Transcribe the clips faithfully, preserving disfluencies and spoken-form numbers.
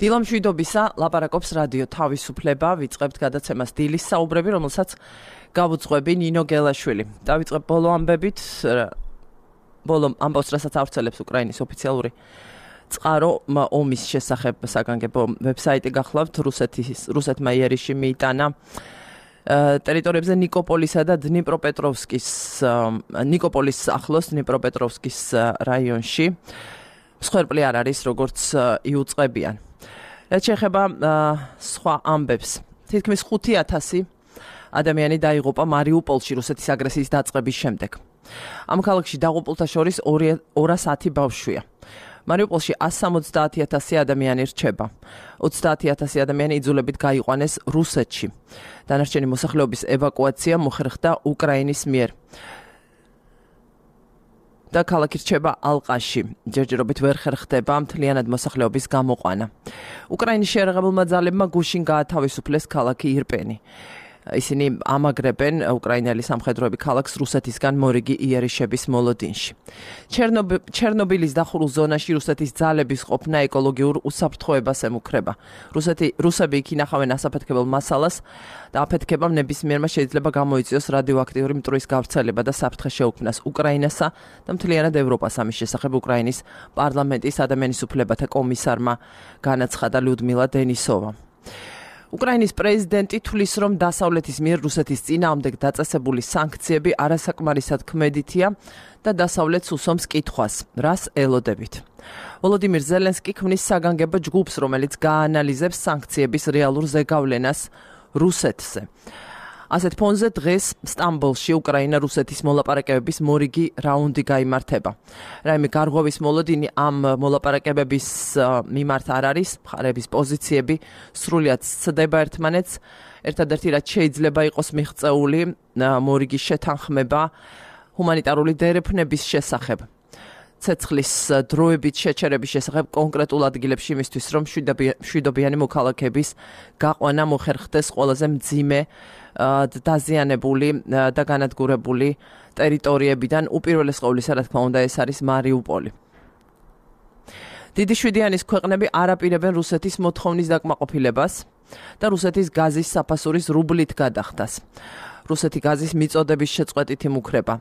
დილამშვიდობისა, ლაპარაკობს რადიო თავისუფლება, ვიწყებთ გადაცემას დილის საუბრები, რომელსაც გავუძღვები ნინო გელაშვილი. დავიწყებ ბოლო ამბებით, ბოლო ამბავს, რასაც ავრცელებს უკრაინის ოფიციალური წყარო ომის შესახებ საგანგებო ვებსაიტი გახლავთ, რუსეთის რუსეთმა იერიში მიიტანა ტერიტორიებზე ნიკოპოლისა და დნიპროპეტროვსკის ნიკოპოლის ახლოს დნიპროპეტროვსკის რაიონში. მსხვერპლი არ არის, როგორც იუწყებიან. რაც შეეხება სხვა ამბებს, თითქმის ხუთი ათასი ადამიანი დაიღუპა მარიუპოლში რუსეთის აგრესიის დაწყების შემდეგ. ამ ქალაქში დაღუპულთა შორის ორას ათი ბავშვია. მარიუპოლში ასი სამოცდაათი ათასი ადამიანი რჩება. ოცდაათი ათასი ადამიანი იძულებით გაიყვანეს რუსეთში. დანარჩენი მოსახლეობის ევაკუაცია მოხერხდა უკრაინის მიერ. და ქალაქი რჩება ალყაში. ჯერჯერობით ვერ ხერხდება მთლიანად მოსახლეობის გამოყვანა. უკრაინის შეიარაღებულმა ძალებმა გუშინ გაათავისუფლეს ქალაქი ირპენი. ისინი ამაგრებენ უკრაინელი სამხედროები ქალაქს რუსეთისგან მორიგი იერიშების მოლოდინში. ჩერნობილის დახურულ ზონაში რუსეთის ძალების ყოფნა ეკოლოგიურ უსაფრთხოებას ემუქრება. რუსეთი რუსები იქ ინახავენ ასაფეთქებელ მასალას და აფეთქებამ ნებისმიერმა შეიძლება გამოიწვიოს რადიოაქტიური მტვრის გავრცელება და საფრთხე შეუქმნას უკრაინასა და მთლიანად ევროპას. ამის შესახებ უკრაინის პარლამენტის ადამიანის უფლებათა კომისარმა განაცხადა ლიუდმილა დენისოვა. უკრაინის პრეზიდენტი თვლის, რომ დასავლეთის მიერ რუსეთის წინააღმდეგ დაწესებული სანქციები არასაკმარისად ქმედითია და დასავლეთს უსვამს კითხვას, რას ელოდებით. ვოლოდიმირ ზელენსკი ქმნის საგანგებო ჯგუფს, რომელიც გაანალიზებს სანქციების რეალურ ზეგავლენას რუსეთზე. ასეთ ფონზე დღეს სტამბოლში უკრაინა რუსეთის მოლაპარაკებების მორიგი რაუნდი გაიმართება. რაიმე გარღვევის მოლოდინი ამ მოლაპარაკებების მიმართ არ არის, მხარეების პოზიციები სრულიად სცდება ერთმანეთს. ერთადერთი რაც შეიძლება იყოს მიღწეული მორიგის შეთანხმება ჰუმანიტარული დერეფნების შესახებ. ცეცხლის დროებით შეჩერების შესახებ კონკრეტულ ადგილებში იმისთვის, რომ მშვიდობიანი მოქალაქეების გაყვანა მოხერხდეს ყველაზე მძიმე დაზიანებული და განადგურებული ტერიტორიებიდან, უპირველეს ყოვლისა, რა თქმა უნდა, ეს არის მარიუპოლი. დიდი შვიდიანის ქვეყნები არ აპირებენ რუსეთის მოთხოვნის დაკმაყოფილებას და რუსეთის გაზის საფასურის რუბლით გადახდას. რუსეთი გაზის მიწოდების შეწყვეტით იმუქრება.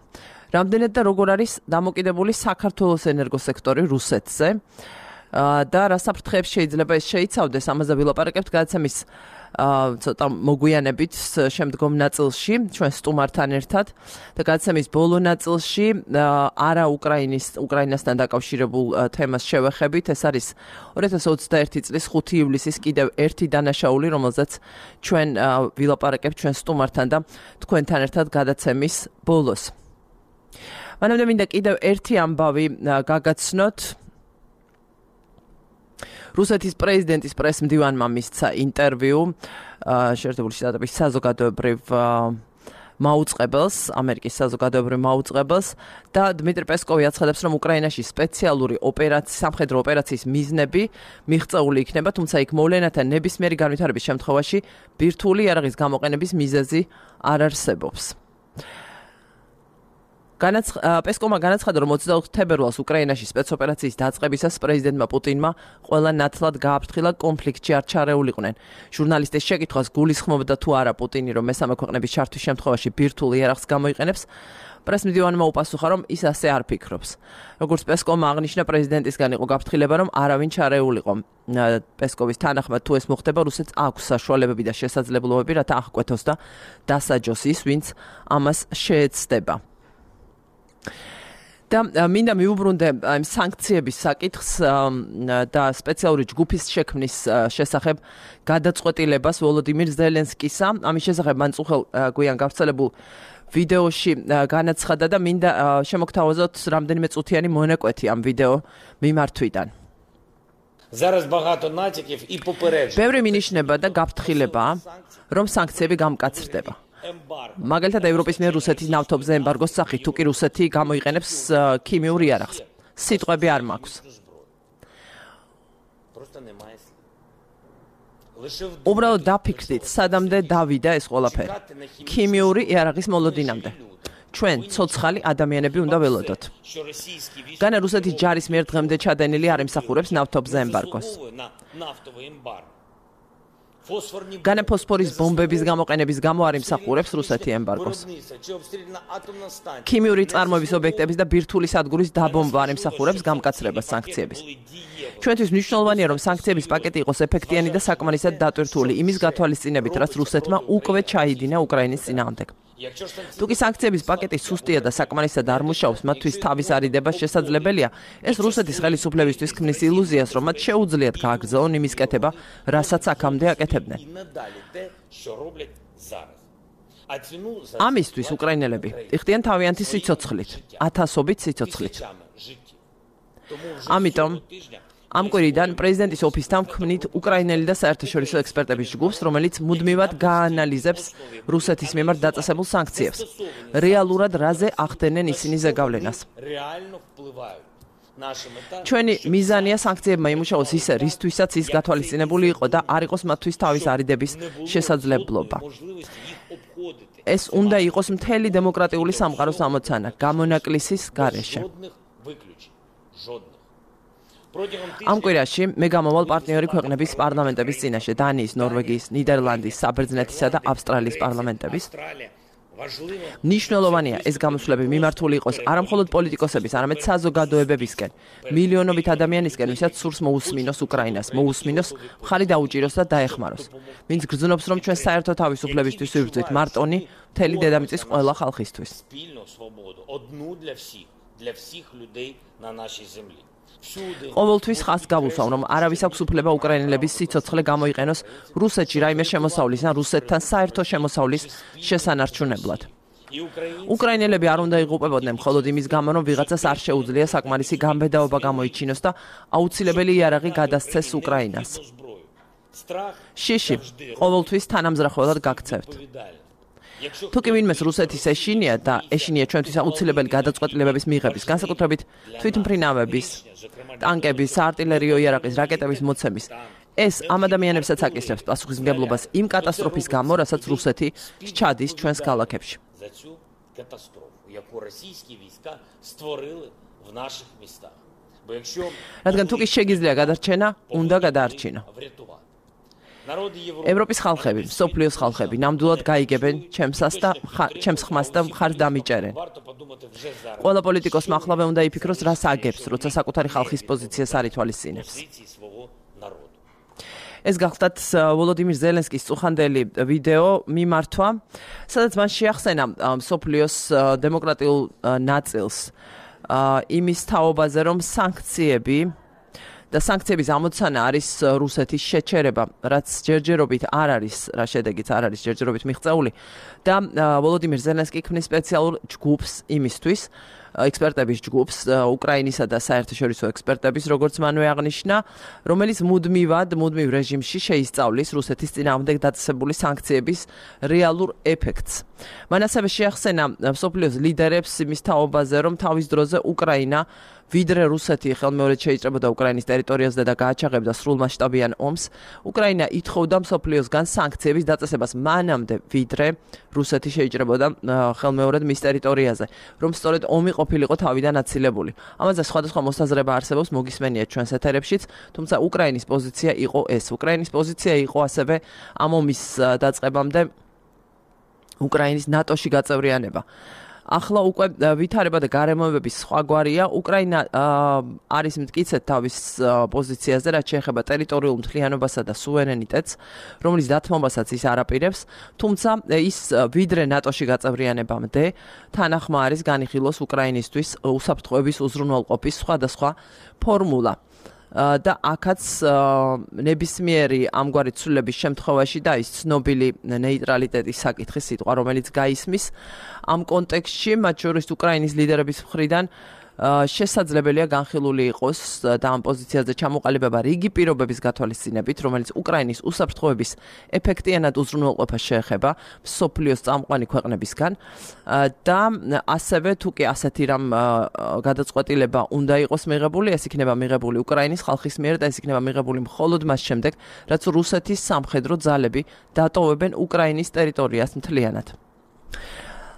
რამდენად და როგორ არის დამოკიდებული საქართველოს ენერგოსექტორი რუსეთზე და რა საფრთხეებს შეიძლება ეს შეიცავდეს, ამაზე ვილაპარაკებთ გადაცემის ცოტა მოგვიანებით შემდგომ ნაწილში ჩვენ სტუმართან ერთად და გადაცემის ბოლო ნაწილში არა უკრაინის უკრაინასთან დაკავშირებულ თემას შევეხებით. ეს არის ორი ათას ოცდაერთი წლის ხუთი ივლისის კიდევ ერთი დანაშაული, რომელზეც ჩვენ ვილაპარაკებთ ჩვენ სტუმართან და თქვენთან ერთად გადაცემის ბოლოს. მანამდე მინდა კიდევ ერთი ამბავი გაგაცნოთ. რუსეთის პრეზიდენტის პრესმდივანმა მისცა ინტერვიუ შეერთებული შტატების საზოგადოებრივ მაუწყებელს, ამერიკის საზოგადოებრივ მაუწყებელს და დმიტრი პესკოვი აცხადებს, რომ უკრაინაში სპეციალური ოპერაცია, სამხედრო ოპერაციის მიზნები მიღწეული იქნება, თუმცა იქ მოვლენათა ნებისმიერი განვითარების შემთხვევაში ბირთვული იარაღის გამოყენების მიზეზი არ არსებობს. პესკოვმა განაცხადა, რომ ოცდაოთხ თებერვალს უკრაინაში სპეცოპერაციის დაწყებისას პრეზიდენტმა პუტინმა ყველა ნათლად გააფრთხილა კონფლიქტში არ ჩარეულიყვნენ. ჟურნალისტის შეკითხვას გულისხმობდა თუ არა პუტინი, რომ მესამე ქვეყნების ჩართვის შემთხვევაში ბირთვულ იარაღს გამოიყენებს, პრესმდივანმა უპასუხა, რომ ის ასე არ ფიქრობს. როგორც პესკოვმა აღნიშნა, პრეზიდენტისგან იყო გაფრთხილება, რომ არავინ ჩარეულიყო. პესკოვის თანახმად, თუ ეს მოხდება, რუსეთს აქვს საშუალებები და შესაძლებლობები, რათა აღკვეთოს და დასაჯოს ის, ვინც ამას შეეცდება. და მინდა მიუბრუნდე ამ სანქციების საკითხს და სპეციალური ჯგუფის შექმნის შესახებ გადაწყვეტილებას ვოლოდიმირ ზელენსკისა. ამის შესახებ მან წუხელ გვიან გავრცელებულ ვიდეოში განაცხადა და მინდა შემოგთავაზოთ რამდენიმე წუთიანი მონაკვეთი ამ ვიდეო მიმართვიდან. ბევრი მინიშნება და გაფრთხილებაა, რომ სანქციები გამკაცრდება. მაგალითად ევროპის მიერ რუსეთის ნავთობზე ემბარგოს სახით, თუ კი რუსეთი გამოიყენებს ქიმიურ იარაღს. სიტყვები არ მაქვს. უბრალოდ დაფიქრდით, სადამდე დავიდა ეს ყველაფერი. ქიმიური იარაღის მოლოდინამდე. ჩვენ ცოცხალი ადამიანები უნდა ველოდოთ. განა რუსეთის ჯარის მიერ დღემდე ჩადენილი არ ემსახურებს ნავთობზე ემბარგოს. განა ფოსფორის ბომბების გამოყენების გამო არ ემსახურებს რუსეთი ემბარგოს. ქიმიური წარმოების ობიექტების და ბირთვული სადგურის დაბომბვა არ ემსახურებს გამკაცრებას სანქციების. ჩვენთვის მნიშვნელოვანია, რომ სანქციების პაკეტი იყოს ეფექტიანი და საკმარისად დატვირთული იმის გათვალისწინებით, რაც რუსეთმა უკვე ჩაიდინა უკრაინის წინააღმდეგ. თუკი სანქციების პაკეტი სუსტია და საკმარისად არ მუშაობს, მათთვის თავის არიდება შესაძლებელია. ეს რუსეთის ხელისუფლებისთვის ქმნის ილუზიას, რომ მათ შეუძლიათ გააგრძელონ იმის კეთება, რასაც აქამდე აკეთებდნენ. ამისთვის უკრაინელები იხდიან თავიანთი სიცოცხლით, ათასობით სიცოცხლით. ამიტომ ამ კვირიდან პრეზიდენტის ოფისთან ვქმნით უკრაინელი და საერთაშორისო ექსპერტების ჯგუფს, რომელიც მუდმივად გაანალიზებს რუსეთის მიმართ დაწესებულ სანქციებს. რეალურად რაზე ახდენენ ისინი ზეგავლენას. ჩვენი მიზანია სანქციებმა იმუშაოს ისე, რისთვისაც ის გათვალისწინებული იყო და არ იყოს მათთვის თავის არიდების შესაძლებლობა. ეს უნდა იყოს მთელი დემოკრატიული სამყაროს ამოცანა, გამონაკლისის გარეშე. ამ კვირაში მე გამავალ პარტნიორი ქვეყნების პარლამენტების წინაშე, დანიის, ნორვეგიის, ნიდერლანდის, საბერძნეთისა და ავსტრალიის პარლამენტების. მნიშვნელოვანია ეს გამოსვლები მიმართული იყოს არამხოლოდ პოლიტიკოსების, არამედ საზოგადოებებისკენ, მილიონობით ადამიანისკენ, ვისაც სურს მოусმინოს უკრაინას, მოусმინოს მხარი დაუჭიროს და დაეხმაროს. ვინც გრძნობს, რომ ჩვენ საერთო თავისუფლებისთვის ვიბრძვით მარტონი მთელი დედამიწის ყველა ხალხისთვის. ყოველთვის ხაზს გავუსვამ, რომ არავის აქვს უფლება უკრაინელების სიცოცხლე გამოიყენოს რუსეთში რაიმე შემოსავლის ან რუსეთთან საერთო შემოსავლის შესანარჩუნებლად. უკრაინელები არ უნდა იღუპებოდნენ მხოლოდ იმის გამო, რომ ვიღაცას არ შეუძლია საკმარისი გამბედაობა გამოიჩინოს და აუცილებელი იარაღი გადასცეს უკრაინას. შიში, ყოველთვის თანამზრახველად გაქცევთ. თუკი ვინმეს რუსეთის ეშინია და ეშინია ჩვენთვის აუცილებელი გადაწყვეტილებების მიღების, განსაკუთრებით თვითმფრინავების, ტანკების, საარტილერიო იარაღის, რაკეტების მოცემის, ეს ამ ადამიანებსაც აკისრებს პასუხისმგებლობას იმ კატასტროფის გამო, რასაც რუსეთი სჩადის ჩვენს ქალაქებში. რადგან თუკი შეგიძლია გადარჩენა, უნდა გადაარჩინო. ევროპის ხალხები, მსოფლიოს ხალხები ნამდვილად გაიგებენ ჩემსას და ჩემს ხმას და მხარს დამიჭერენ. ყველა პოლიტიკოსმა ახლავე უნდა იფიქროს, რას აგებს, როცა საკუთარი ხალხის პოზიციას არ ითვალისწინებს. ეს გახლდათ ვოლოდიმირ ზელენსკის წუხანდელი ვიდეო მიმართვა, სადაც მან შეახსენა მსოფლიოს დემოკრატიულ ნაწილს იმის თაობაზე, რომ სანქციები და სანქციების ამოცანა არის რუსეთის შეჩერება, რაც ჯერჯერობით არ არის, რა შედეგიც არ არის ჯერჯერობით მიღწეული და ვოლოდიმირ ზელენსკი ქმნის სპეციალურ ჯგუფს იმისთვის, ექსპერტების ჯგუფს, უკრაინისა და საერთაშორისო ექსპერტების, როგორც მანვე აღნიშნა, რომელიც მუდმივად, მუდმივ რეჟიმში შეისწავლის რუსეთის წინააღმდეგ დაწესებული სანქციების რეალურ ეფექტს. მან ასევე შეახსენა მსოფლიოს ლიდერებს იმის თაობაზე, რომ თავის დროზე უკრაინა ვიდრე რუსეთი ხელმეორედ შეიჭრებოდა უკრაინის ტერიტორიაზე და გააჩაღებდა სრულმასშტაბიან ომს, უკრაინა ითხოვდა მსოფლიოსგან სანქციების დაწესებას მანამდე, ვიდრე რუსეთი შეიჭრებოდა ხელმეორედ მის ტერიტორიაზე, რომ სწორედ ომი ყოფილიყო თავიდან აცილებული. ამაზე სხვადასხვა მოსაზრება არსებობს, მოგისმენიათ ჩვენს ეთერებშიც, თუმცა უკრაინის პოზიცია იყო ეს. უკრაინის პოზიცია იყო ასევე ამ ომის დაწყებამდე უკრაინის ნატოში გაწევრიანება. ახლა უკვე ვითარება და გარემოებების სხვაგვარია. უკრაინა არის მტკიცედ თავის პოზიციაზე, რაც შეეხება ტერიტორიულ მთლიანობასა და სუვერენიტეტს, რომლის დათმობასაც ის არაპირებს, თუმცა ის ვიდრე ნატოში გაწევრიანებამდე თანახმა არის განიხილოს უკრაინისთვის უსაფრთხოების უზრუნველყოფის სხვადასხვა ფორმულა. და აქაც ნებისმიერი ამგვარი ცვლილების შემთხვევაში და ის ცნობილი ნეიტრალიტეტის საკითხის სიტყვა, რომელიც გაისმის ამ კონტექსტში, მათ შორის უკრაინის ლიდერების მხრიდან შესაძლებელია განხილული იყოს და ამ პოზიციაზე ჩამოყალიბება რიგი პირობების გათვალისწინებით, რომელიც უკრაინის უსაფრთხოების ეფექტიანად უზრუნველყოფას შეეხება მსოფლიოს წამყვანი ქვეყნებისგან და ასევე თუკი ასეთი რამ გადაწყვეტილება უნდა იყოს მიღებული, ეს იქნება მიღებული უკრაინის ხალხის მიერ და ეს იქნება მიღებული მხოლოდ მას შემდეგ, რაც რუსეთის სამხედრო ძალები დატოვებენ უკრაინის ტერიტორიას მთლიანად.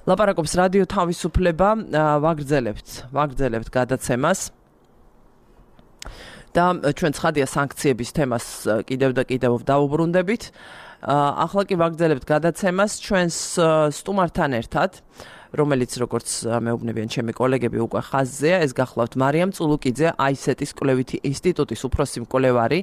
ლაპარაკობს რადიო თავისუფლება, ვაგრძელებთ, ვაგრძელებთ გადაცემას. და ჩვენ ცხადია სანქციების თემას კიდევ და კიდევ დავუბრუნდებით. ახლა კი ვაგრძელებთ გადაცემას ჩვენს სტუმართან ერთად, რომელიც როგორც მეუბნებიან ჩემი კოლეგები უკვე ხაზზეა, ეს გახლავთ მარიამ წულუკიძე, აისეტის კვლევითი ინსტიტუტის უფროსი მკვლევარი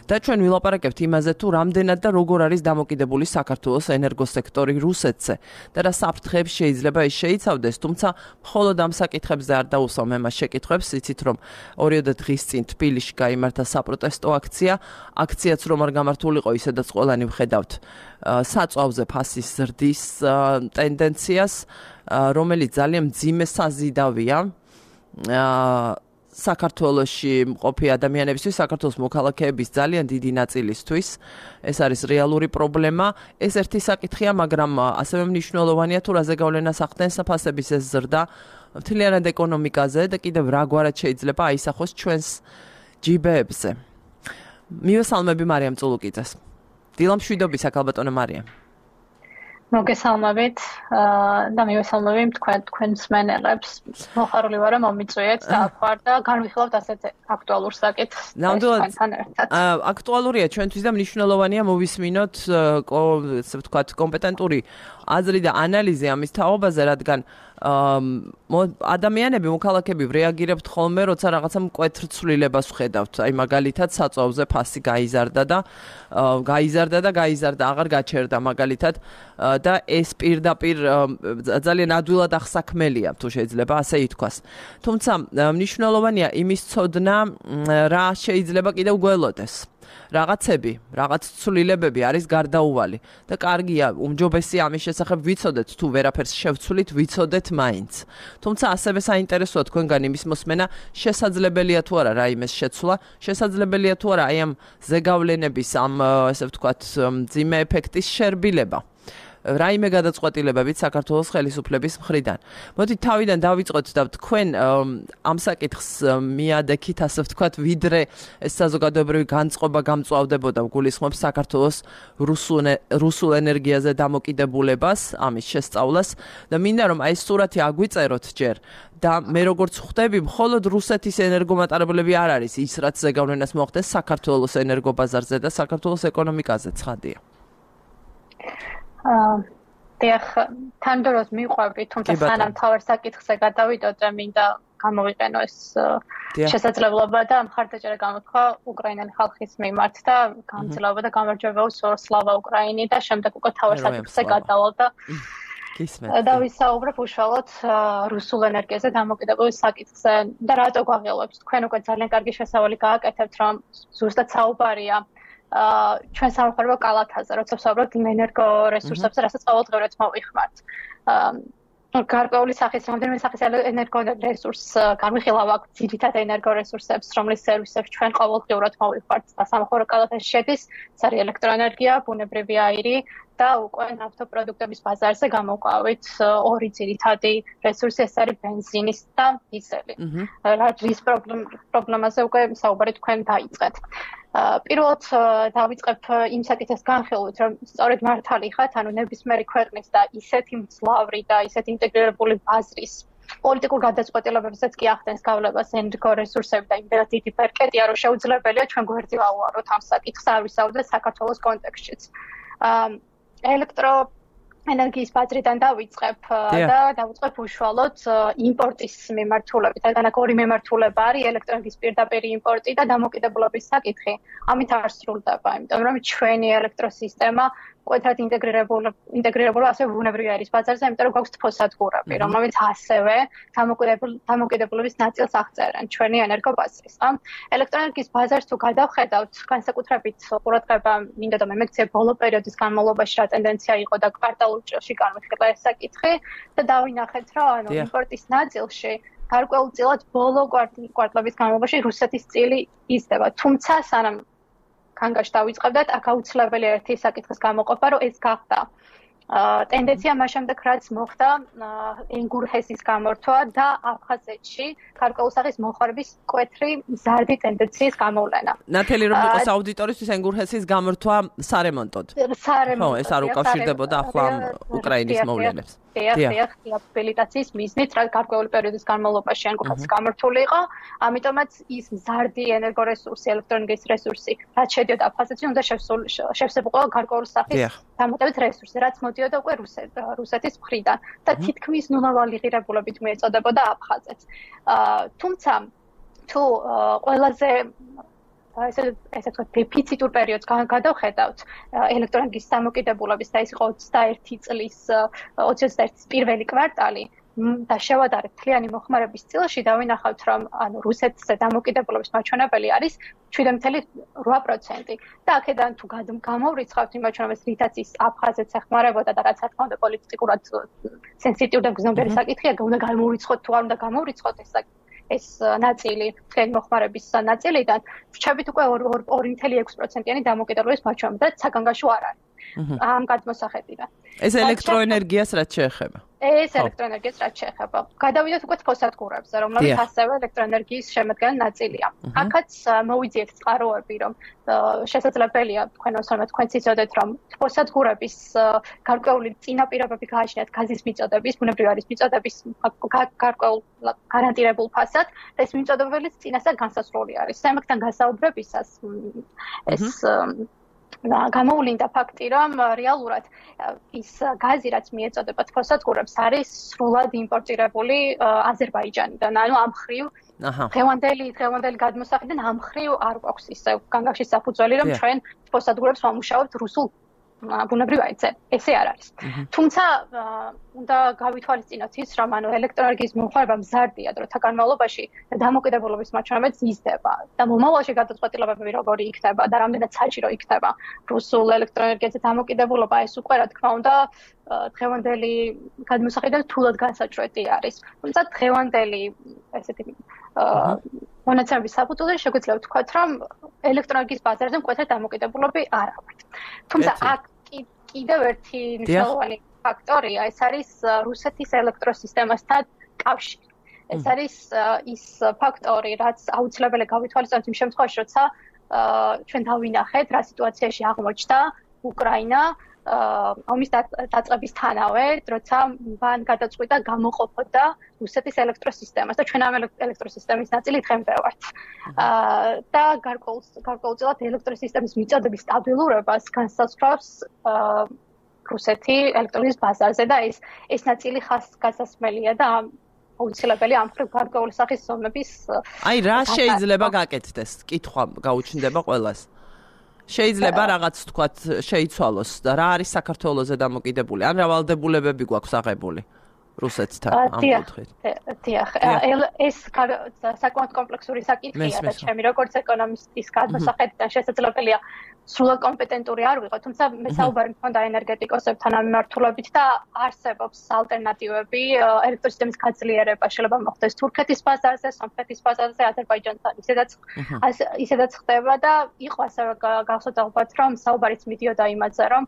და ჩვენ ვილაპარაკებთ იმაზე თუ რამდენად და როგორ არის დამოკიდებული საქართველოს ენერგოსექტორი რუსეთზე და რა საფრთხეებს შეიძლება ის შეიცავდეს, თუმცა მხოლოდ ამ საკითხებზე არ დაუსვამ მე მას შეკითხვებს, იცით რომ ორიოდე დღის წინ თბილისში გაიმართა საპროტესტო აქცია, აქციაც რომ არ გამართულიყო, ისედაც ყველანი ვხედავთ საწვავზე ფასის ზრდის ტენდენციას, რომელიც ძალიან მძიმე საზიდავია საქართველოში მყოფი ადამიანებისთვის, საქართველოს მოქალაქეების ძალიან დიდი ნაწილისთვის. ეს არის რეალური პრობლემა. ეს ერთი საკითხია, მაგრამ ასევე მნიშვნელოვანია თუ რაზე გავლენას ახდენს ფასების ეს ზრდა მთლიანად ეკონომიკაზე და კიდევ რაგვარად შეიძლება აისახოს ჩვენს ჯიბეებზე. მივესალმები მარიამ წულუკიძეს. დილამშვიდობისა, ქალბატონო მარიამ. მოგესალმებით და მივესალმები თქვენ თქვენ მსმენელებს. მოხარული ვარ რომ მომიწვიეთ და ახوار და განვიხილავთ ასეთ აქტუალურ საკითხს. ნამდვილად აქტუალურია ჩვენთვის და მნიშვნელოვანია მოვისმინოთ ესე ვთქვათ კომპეტენტური აზრი და ანალიზი ამის თაობაზე, რადგან ადამიანები, მოქალაქეები რეაგირებთ ხოლმე, როცა რაღაცა მკვეთრ ცვლილებას ვხედავთ. აი მაგალითად საწვავზე ფასი გაიზარდა და გაიზარდა და გაიზარდა, აღარ გაჩერდა მაგალითად და ეს პირდაპირ ძალიან ადვილად ახსაქმელია, თუ შეიძლება ასე ითქვას. თუმცა მნიშვნელოვანია იმის ცოდნა, რა შეიძლება კიდევ გველოდეს. რაღაცები, რაღაც ცვლილებები არის გარდაუვალი და კარგია, უმჯობესია ამის შესახებ ვიცოდეთ, თუ ვერაფერს შევცვლით, ვიცოდეთ მაინც. თუმცა ასევე საინტერესოა თქვენგან იმის მოსმენა, შესაძლებელია თუ არა რაიმეს შეცვლა, შესაძლებელია თუ არა აი ამ ზეგავლენების, ამ ესე ვთქვათ, მძიმე ეფექტის შერბილება. რაიმე გადაწყვეტილებებით საქართველოს ხელისუფლების მხრიდან. მოდით თავიდან დავიწყოთ და თქვენ ამ საკითხს მიადექით, ასე ვთქვათ, ვიდრე ეს საზოგადოებრივი განწყობა გამწვავდებოდა, გულისხმობს საქართველოს რუსულ ენერგიაზე დამოკიდებულებას, ამის შესწავლას და მინდა რომ აი ეს სურათი აგვიწეროთ ჯერ და მე როგორც ხვდები, მხოლოდ რუსეთის ენერგომატარებლები არ არის ის, რაც ზეგავლენას მოახდეს საქართველოს ენერგობაზარზე და საქართველოს ეკონომიკაზე, ცხადია. დიახ, თანდოროს მიყვები, თუმცა სანამ თავარ საკითხზე გადავიდოდ, მინდა გამოვიყენო ეს შესაძლებლობა და მხარდაჭერა გამოთქვა უკრაინელი ხალხის მიმართ და გამძლეობა და გამარჯვება უსურვო სლავა უკრაინი და შემდეგ უკვე თავარ საკითხზე გადავალ და და ვისაუბრებ უშუალოდ რუსულ ენერგიაზე დამოკიდებული საკითხზე და რატო გვაღელვებს. თქვენ უკვე ძალიან კარგი შესავალი გააკეთებთ, რომ ზუსტად საუბარია ჩვენ სამხარებო კალათაზე, როცა ვსაუბრობთ ენერგორესურსებზე, რასაც ყოველდღიურად მოვიხმართ. გარკვეული სახის, რამდენიმე სახის ენერგორესურს განვიხილავ აქ ძირითად ენერგორესურსებს, რომლის სერვისებს ჩვენ ყოველდღიურად მოვიხმართ და სამხარებო კალათაში შედის, ეს არის ელექტროენერგია, ბუნებრივი აირი და უკვე ნავთობპროდუქტების ბაზარზე გამოვყავით ორი ძირითადი რესურსი, ეს არის ბენზინის და დიზელი. რის პრობლემაზე უკვე საუბარი თქვენ დაიწყეთ. პირველად დავიწყებ იმ საკითხის განხილვით, რომ სწორედ მართალი ხართ, ანუ ნებისმიერი ქვეყნის და ისეთი მძლავრი და ისეთი ინტეგრირებული ბაზრის პოლიტიკურ გადაწყვეტილებებსაც კი ახდენს გავლებას ენერგორესურსები და იმდენად დიდი პერკეტია, რომ შეუძლებელია ჩვენ გვერდი ვაუაროთ ამ საკითხს, არ ვისაუბროთ საქართველოს კონტექსტშიც. ელექტრო ენერგიის ბაზრიდან დავიწყებ და დავიწყებ უშუალოდ იმპორტის მიმართულებით. რადგან აქ ორი მიმართულება არის, ელექტროენერგიის პირდაპირ იმპორტი და დამოკიდებულების საკითხი. ამით არ სრულდება, იმიტომ რომ ჩვენი ელექტროსისტემა მკვეთრად ინტეგრირებული ინტეგრირებული ასევე ბუნებრივი აირის ბაზარზე, იმიტომ რომ გვაქვს თბოსადგურები, რომლებიც ასევე დამოკიდებულების ნაწილს აღწერენ ჩვენი ენერგობაზრისგან. ელექტროენერგიის ბაზარს თუ გადავხედავთ, განსაკუთრებით ყურადღება მინდა და მემექცია ბოლო პერიოდის განმავლობაში რა ტენდენცია იყო და კვარტალურ ჭრილში განვიხილე ეს საკითხი და დავინახეთ, რომ ანუ იმპორტის ნაწილში გარკვეულწილად ბოლო კვარტლების განმავლობაში რუსეთის წილი იზრდება. თუმცა სანამ კანგაში დავიწყებდათ, აქ აუცილებელია ერთი საკითხის გამოყოფა, რომ ეს გახდა ტენდენცია მას შემდეგ, რაც მოხდა ენგურჰესის გამორთვა და აფხაზეთში გარკვეული სახის მოხარების მკვეთრი მზარდი ტენდენციის გამოვლენა. ნათელი რომ იყოს აუდიტორისთვის ენგურჰესის გამორთვა სარემონტოდ. სარემონტოდ. ხო, ეს არ უკავშირდებოდა ახლა უკრაინის მოვლენებს. დიახ, დიახ, დიაპილიტაციის მიზნით, რა გარკვეული პერიოდის განმავლობაში ენგურაც გამართული იყო, ამიტომაც ის მზარდი ენერგორესურსი, ელექტროენერგიის რესურსი, რაც შედიოდა აფხაზეთში, უნდა შევსებულიყო გარკვეული სახის დამატებით რესურსი, რაც მოდიოდა უკვე რუსეთის მხრიდან და თითქმის ნულოვანი ღირებულებით მიეწოდებოდა აფხაზეთს. თუმცა თუ ყველაზე ესე ესე ვთქვათ, დეფიციტურ პერიოდს გადავხედავთ ელექტროენერგიის დამოკიდებულების და ის იყო ოცდაერთი წლის ოცდაერთი წლის პირველი კვარტალი და შევადარებთ მთლიანი მოხმარების წილში და ვინახავთ, რომ ანუ რუსეთზე დამოკიდებულების მაჩვენებელი არის შვიდ ათეული რვა პროცენტი და აქედან თუ გამოვრიცხავთ იმ მაჩვენებელს, რითაც ის აფხაზეთს ეხმარებოდა და რაც რა თქმა უნდა პოლიტიკურად სენსიტიური და გრძნობიერი საკითხია, უნდა გამოვრიცხოთ თუ არ უნდა გამოვრიცხოთ ეს ეს ნაწილი თქვენი მოხმარების ნაწილიდან ვრჩებით უკვე ორი ათეული ექვსი პროცენტიანი დამოკიდებულების მაჩვენებელი და საგანგაშო არ არის. ამ გადმოსახედიდან. ეს ელექტროენერგიას რაც შეეხება. ეს ელექტროენერგიას რაც შეეხება. გადავიდეთ უკვე ფოსфатგურებზე, რომლებიც ასევე ელექტროენერგიის შემადგენელი ნაწილია. აქაც მოვიძიეთ წყაროები, რომ შესაძლებელია თქვენ ოსმოთ თქვენც იცოდეთ, რომ ფოსфатგურების გარკვეული წინაპირობები გააჩნიათ გაზის მიწოდების, ბუნებრივი არის მიწოდების გარკვეულ გარანტირებულ ფასად და ეს მიწოდებებიც წინასწარ განსაზღვრული არის. ამასთან გასაუბრებისას ეს გამოვლინდა ფაქტი, რომ რეალურად ის გაზი, რაც მიეწოდება ფოსфатგურებს, არის სრულად იმპორტირებული აზერბაიჯანიდან. ანუ ამ ხრივ დღევანდელი დღევანდელი გადმოსახედიდან ამ ხრივ არ გვაქვს ისე განგახში საფუძველი, რომ ჩვენ ფოსфатგურებს ვამუშავებთ რუსულ ბუნებრივ აირზე. ესე არ არის. თუმცა უნდა გავითვალისწინოთ ის, რომ ანუ ელექტროენერგიის მომხმარება მზარდია დროთა განმავლობაში და დამოკიდებულების მაჩვენებელიც იზრდება და მომავალში გადაწყვეტილებები როგორი იქნება და რამდენად საჭირო იქნება რუსულ ელექტროენერგიაზე დამოკიდებულობა, ეს უკვე რა თქმა უნდა დღევანდელი გადმოსახედიდან თულად განსაჭრელი არის. თუმცა დღევანდელი ესეთი მონაცემების საფუძველზე შეგვიძლია ვთქვათ, რომ ელექტროენერგიის ბაზარზე მკვეთრად დამოკიდებულები არ აქვთ. თუმცა აქ კიდევ ერთი მნიშვნელოვანი ფაქტორია, ეს არის რუსეთის ელექტროსისტემასთან კავშირი. ეს არის ის ფაქტორი, რაც აუცილებელი გავითვალისწინოთ იმ შემთხვევაში, როცა ჩვენ დავინახეთ, რა სიტუაციაში აღმოჩნდა უკრაინა ომის დაწყების თანავე, როცა მან გადაწყვიტა გამოყოფოდა რუსეთის ელექტროსისტემას და ჩვენ ამ ელექტროსისტემის ნაწილი დღემდე ვართ. და გარკვეულწილად ელექტროსისტემის მიწოდების სტაბილურობას განსაზღვრავს რუსეთი ელექტროენერგიის ბაზარზე და ეს ეს ნაწილი ხას გასასმელია და აუცილებელი ამ ხრივ გარკვეული სახის ზომების აი რა შეიძლება გაკეთდეს? კითხვა გაუჩნდება ყველას. შეიძლება რაღაც თქვათ შეიცვალოს და რა არის საქართველოზე დამოკიდებული? ან რა ვალდებულებები გვაქვს აღებული რუსეთთან ამ კუთხით? დიახ, ეს საკმაოდ კომპლექსური საკითხია და ჩემი როგორც ეკონომისტის გადმოსახედიდან შესაძლებელია სრულად კომპეტენტური არ ვიყო, თუმცა მე საუბარი მქონდა ენერგეტიკოსებთან ამ მიმართულებით და არსებობს ალტერნატივები ელექტროსისტემის გაძლიერება, შეიძლება მოხდეს თურქეთის ბაზარზე, სომხეთის ბაზარზე, აზერბაიჯანთან ისედაც ისედაც ხდება და იყო ასევე გახსოვთ ალბათ, რომ საუბარიც მიდიოდა იმაზე, რომ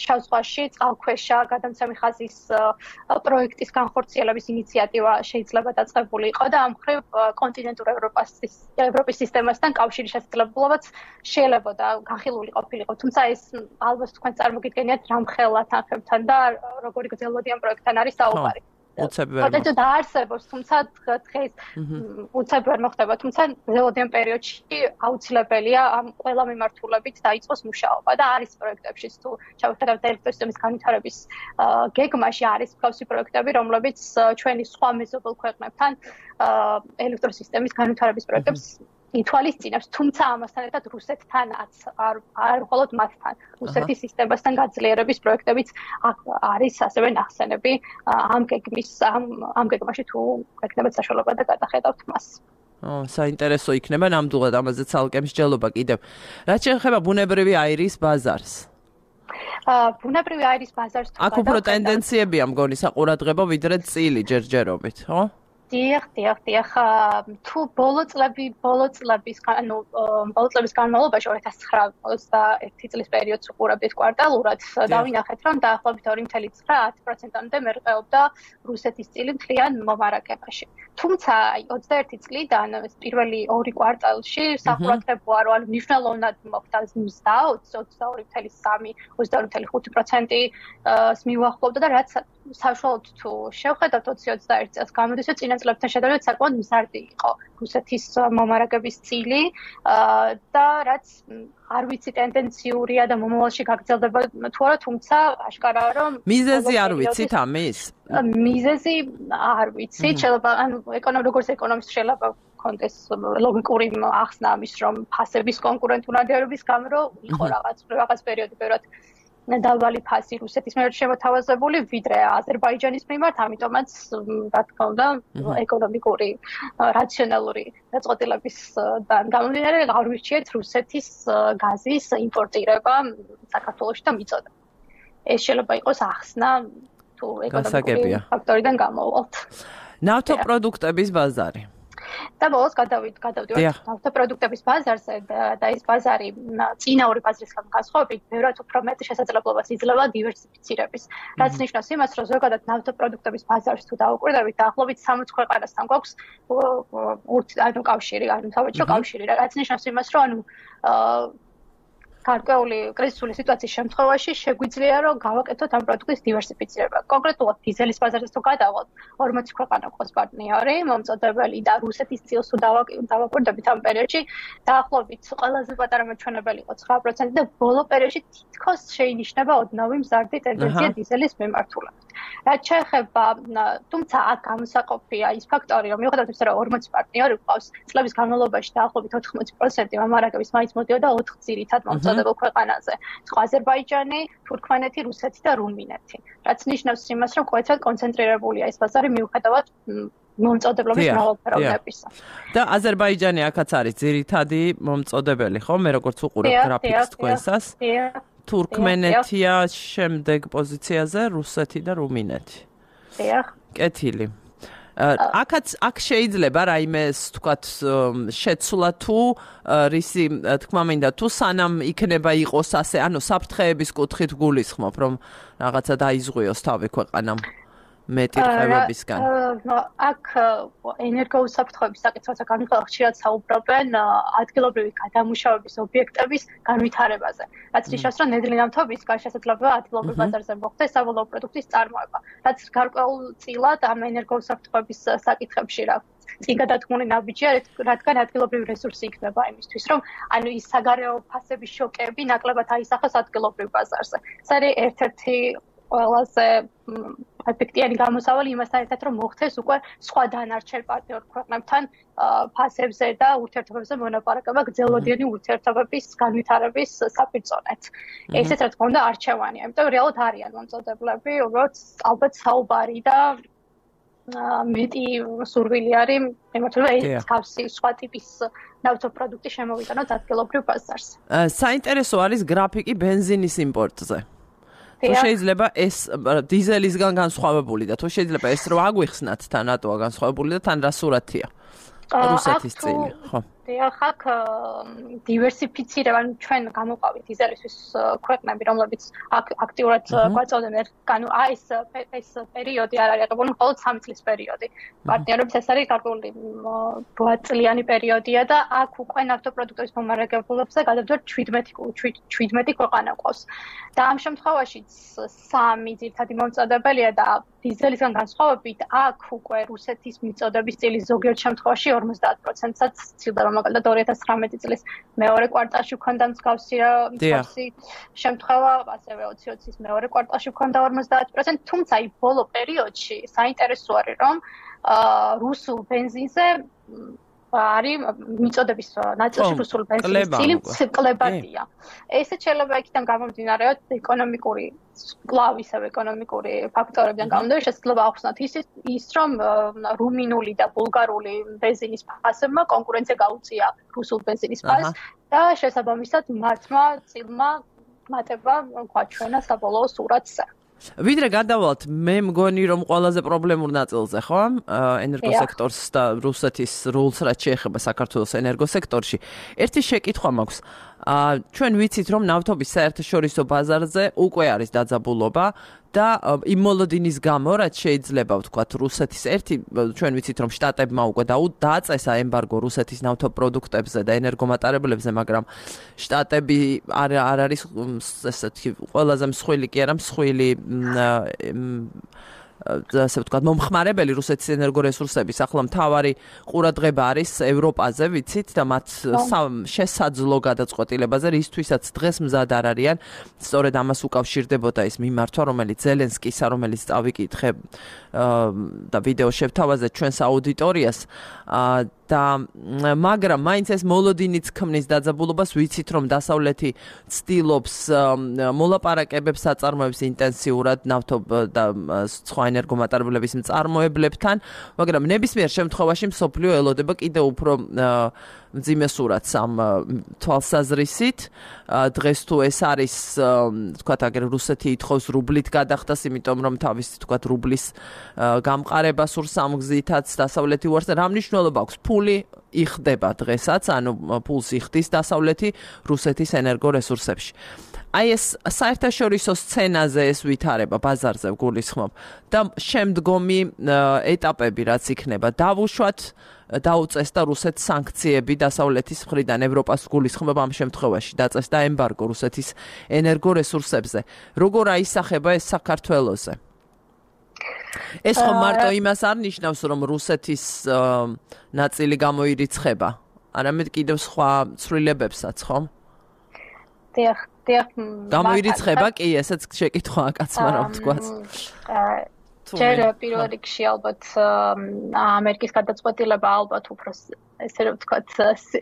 შავ ზღვაში წყალქვეშა გადამცემი ხაზის პროექტის განხორციელების ინიციატივა შეიძლება დაწყებული იყო და ამ მხრივ კონტინენტურ ევროპას ევროპის სისტემასთან კავშირის შესაძლებლობაც შეიძლება განხილული ყოფილიყო, თუმცა ეს ალბათ თქვენ წარმოგიდგენიათ რამხელა თანხებთან და როგორი გრძელვადიან პროექტთან არის საუბარი. უცებ ვერ მოხდება. დაარსებობს, თუმცა დღეს უცებ ვერ მოხდება, თუმცა გრძელვადიან პერიოდში აუცილებელია ამ ყველა მიმართულებით დაიწყოს მუშაობა და არის პროექტებში თუ ჩავხედავთ ელექტროსისტემის განვითარების გეგმაში არის მსგავსი პროექტები, რომლებიც ჩვენი სხვა მეზობელ ქვეყნებთან ელექტროსისტემის განვითარების პროექტებს ითვალისწინებს, თუმცა ამასთან ერთად რუსეთთანაც არ არ მხოლოდ მათთან, რუსეთის სისტემასთან გაძლიერების პროექტებიც არის ასევე ნახსენები ამ გეგმის ამ ამ გეგმაში თუ გეკნებათ საშუალება და გადახედავთ მას. ო, საინტერესო იქნება ნამდვილად ამაზე ცალკე მსჯელობა კიდევ. რაც შეეხება ბუნებრივი აირის ბაზარს. ბუნებრივი აირის ბაზარს თუ აქ უფრო ტენდენციებია მგონი საყურადღებო ვიდრე წილი ჯერჯერობით, ხო? დიახ, დიახ, დიახ. თუ ბოლო წლები, ბოლო წლების, ანუ ბოლო წლების განმავლობაში ორი ათას ცხრა ოცდაერთი წლის პერიოდს უყურებდით კვარტალურად, დავინახეთ, რომ დაახლოებით ორი ცხრა ათი პროცენტამდე მერყეობდა რუსეთის წილი მთლიან მომარაგებაში. თუმცა ოცდაერთი წლიდან პირველი ორი კვარტალში სახურათებოა, რომ ანუ მნიშვნელოვნად მოხდა მზდა ოცდაორი ცხრა სამი ოცდაორი ცხრა ხუთი პროცენტს მიუახლოვდა და რაც საშუალოდ თუ შევხედავთ ოცი ოცდაერთი წელს გამოდის, რომ წინა წლებთან შედარებით საკმაოდ მზარდი იყო რუსეთის მომარაგების წილი და რაც არ ვიცი ტენდენციურია და მომავალში გაგრძელდება თუ არა, თუმცა აშკარაა რომ მიზეზი არ ვიცით ამის? მიზეზი არ ვიცი, შეიძლება ანუ ეკონომიკურ როგორც ეკონომისტ შეიძლება კონდეს ლოგიკური ახსნა ამის, რომ ფასების კონკურენტუნარდების გამო რომ იყო რაღაც რაღაც პერიოდი ბევრად დაბალი ფასი რუსეთის მიერ შემოთავაზებული ვიდრე აზერბაიჯანის მიმართ, ამიტომაც რა თქმა უნდა ეკონომიკური რაციონალური დაწყვეტილებისგან გამომდინარე არ ვირჩიეთ რუსეთის გაზის იმპორტირება საქართველოში და მიწოდა. ეს შეიძლება იყოს ახსნა თუ ეკონომიკური ფაქტორიდან გამოვვალთ. ნავთობპროდუქტების ბაზარი. და ბოლოს გადავიდ გადავდივართ ნავთობპროდუქტების ბაზარზე და ეს ბაზარი წინა ორი ბაზრისგან განსხვავებით ბევრად უფრო მეტ შესაძლებლობას იძლევა დივერსიფიცირების. რაც ნიშნავს იმას, რომ ზოგადად ნავთობპროდუქტების ბაზარს თუ დავუკვირდებით, დაახლოებით სამოცი ქვეყანასთან გვაქვს ანუ კავშირი, ანუ სავაჭრო კავშირი, რაც ნიშნავს იმას, რომ ანუ გარკვეული კრიზისული სიტუაციის შემთხვევაში შეგვიძლია რომ გავაკეთოთ ამ პროდუქტის დივერსიფიცირება. კონკრეტულად დიზელის ბაზარზე თუ გადავალთ, ორმოცი ქვეყანა ყავს პარტნიორი, მომწოდებელი და რუსეთის წილს თუ დავაკვირდებით ამ პერიოდში, დაახლოებით ყველაზე პატარა მაჩვენებელი იყო ცხრა პროცენტი და ბოლო პერიოდში თითქოს შეინიშნება ოდნავი მზარდი ტენდენცია დიზელის მიმართულებით. რაც შეეხება, თუმცა აქ გამოსაყოფია ის ფაქტორი, რომ მიუხედავად იმისა, რომ ორმოცი პარტნიორი ყავს, წლების განმავლობაში დაახლოებით ოთხმოცი პროცენტი მომარაგების მაინც მოდიოდა ოთხ ძირითად მომწოდებელ ქვეყანაზე. სხვა აზერბაიჯანი, თურქმენეთი, რუსეთი და რუმინეთი. რაც ნიშნავს იმას, რომ ყოველთვის კონცენტრირებულია ეს ბაზარი მიუხედავად მომწოდებლობის მრავალფეროვნებისა. და აზერბაიჯანი აქაც არის ძირითადი მომწოდებელი, ხო? მე როგორც უყურებ გრაფიკს თქვენსას. თურქმენეთია შემდეგ პოზიციაზე, რუსეთი და რუმინეთი. დიახ. კეთილი. აქაც აქ შეიძლება რაიმე თქვათ შეცვლა თუ რისი თქმა მინდა თუ სანამ იქნება იყოს ასე, ანუ საფრთხეების კუთხით გულისხმობ, რომ რაღაცა დაიზღვიოს თავი ქვეყანამ მეტი რხევებისგან. აქ ენერგოუსაფრთხოების საკითხზე განვიხილოთ, ხშირად საუბრობენ ადგილობრივი გადამუშავების ობიექტების განვითარებაზე. რაც ნიშნავს, რომ ნედლი ნავთობისგან შესაძლოა ადგილობრივ ბაზარზე მოხდეს საბოლოო პროდუქტის წარმოება. რაც გარკვეულწილად ამ ენერგოუსაფრთხოების საკითხებში რა წინ გადადგმული ნაბიჯია, რადგან ადგილობრივი რესურსი იქნება იმისთვის, რომ ანუ ის საგარეო ფასების შოკები ნაკლებად აისახოს ადგილობრივ ბაზარზე. ეს არის ერთ-ერთი ყველაზე ეფექტიანი გამოსავალი იმასთან ერთად, რომ მოხდეს უკვე სხვა დანარჩენ პარტნიორ ქვეყნებთან ფასებზე და ურთიერთობებზე მონაპარაკება გრძელვადიანი ურთიერთობების განვითარების საფუძვლად. ესეც რა თქმა უნდა არჩევანია, იმიტომ რეალურად არიან მომწოდებლები, უბრალოდ ალბათ საუბარი და მეტი სურვილი არის იმათლობა ეს თავსი სხვა ტიპის ნავთობპროდუქტი შემოვიტანოთ ადგილობრივ ბაზარზე. საინტერესო არის გრაფიკი ბენზინის იმპორტზე. თუ შეიძლება ეს დიზელისგან განსხვავებული და თუ შეიძლება ეს რო აგვიხსნათ თან რატოა განსხვავებული და თან რა სურათია რუსეთის წილი, ხო? დიახ, აქ დივერსიფიცირება, ანუ ჩვენ გამოყავით დიზელისთვის ქვეყნები, რომლებიც აქტიურად გვაწევდნენ, ანუ აი ეს ეს პერიოდი არ არის აღებული, მხოლოდ სამი წლის პერიოდი. პარტნიორებს ეს არის გარკვეული რვაწლიანი პერიოდია და აქ უკვე ნავთობპროდუქტების მომარაგებლობებზე გადავდივართ შვიდმეტი ქვეყანა ყავს. და ამ შემთხვევაშიც სამი ძირითადი მომწოდებელია და დიზელისგან განსხვავებით აქ უკვე რუსეთის მიწოდების წილი ზოგიერთ შემთხვევაში ორმოცდაათ პროცენტსაც ცდილდება, მაგალითად ორი ათას ცხრამეტი წლის მეორე კვარტალში ჰქონდა მსგავსი მსგავსი შემთხვევა, ასევე ოცი ოცის მეორე კვარტალში ჰქონდა ორმოცდაათ პროცენტი, თუმცა აი ბოლო პერიოდში საინტერესო არის, რომ რუსულ ბენზინზე არის მიწოდების ნაწილში რუსული ბენზინის წილი კლებადია. ესეც შეიძლება იქიდან გამომდინარეოთ ეკონომიკური კვლავ ისევ ეკონომიკური ფაქტორებიდან გამომდინარე, შესაძლოა ახსნათ ის ის რომ რუმინული და ბულგარული ბენზინის ფასებმა კონკურენცია გაუწია რუსულ ბენზინის ფასს და შესაბამისად მათმა წილმა მატება გვაჩვენა საბოლოო სურათზე. ვიდრე გადავალთ, მე მგონი რომ ყველაზე პრობლემურ ნაწილზე, ხო? ენერგოსექტორს და რუსეთის რულს რაც შეეხება საქართველოს ენერგოსექტორში. ერთი შეკითხვა მაქვს. ჩვენ ვიცით რომ ნავთობის საერთაშორისო ბაზარზე უკვე არის დაძაბულობა და იმ მოლოდინის გამო რაც შეიძლება ვთქვათ რუსეთის ერთი ჩვენ ვიცით რომ შტატებმა უკვე დააწესა ემბარგო რუსეთის ნავთობპროდუქტებზე და ენერგომატარებლებზე, მაგრამ შტატები არ არ არის ესეთი ყველაზე მსხვილი კი არა მსხვილი ასე ვთქვათ, მომხმარებელი რუსეთის ენერგორესურსების ახლა მთავარი ყურადღება არის ევროპაზე, ვიცით და მათ შესაძლო გადაწყვეტილებაზე, რისთვისაც დღეს მზად არ არიან. სწორედ ამას უკავშირდებოდა ის მიმართვა, რომელიც ზელენსკისა, რომელიც წავიკითხე და ვიდეო შევთავაზეთ ჩვენს აუდიტორიას და მაგრამ მაინც ეს მოლოდინიც ქმნის დაძაბულობას, ვიცით რომ დასავლეთი ცდილობს მოლაპარაკებებს აწარმოებს ინტენსიურად ნავთობ და სხვა ენერგომატარებლების მწარმოებლებთან, მაგრამ ნებისმიერ შემთხვევაში მსოფლიო ელოდება კიდევ უფრო მძიმე სურათს ამ თვალსაზრისით. დღეს თუ ეს არის, თქვათ, აგერ რუსეთი ითხოვს რუბლით გადახდას, იმიტომ რომ თავისი, თქვათ, რუბლის გამყარება სურს ამ გზითაც დასავლეთი უარს და რა მნიშვნელობა აქვს? ფული იხდება დღესაც, ანუ ფულს იხდის დასავლეთი რუსეთის ენერგორესურსებში. აი ეს საერთაშორისო სცენაზე ეს ვითარება ბაზარზე გულისხმობ და შემდგომი ეტაპები რაც იქნება დავუშვათ დაუწესდა რუსეთს სანქციები დასავლეთის მხრიდან ევროპას გულისხმობ ამ შემთხვევაში დაწესდა ემბარგო რუსეთის ენერგორესურსებზე. როგორ აისახება ეს საქართველოზე? ეს ხომ მარტო იმას არ ნიშნავს რომ რუსეთის ნაწილი გამოირიცხება, არამედ კიდევ სხვა ცვლილებებსაც, ხო? დიახ, დიახ. გამოირიცხება კი, ესეც შეკითხვაა კაცმა რა ვთქვათ. ჯერ პირველ რიგში ალბათ ამერიკის გადაწყვეტილება ალბათ უფრო ესე რომ ვთქვათ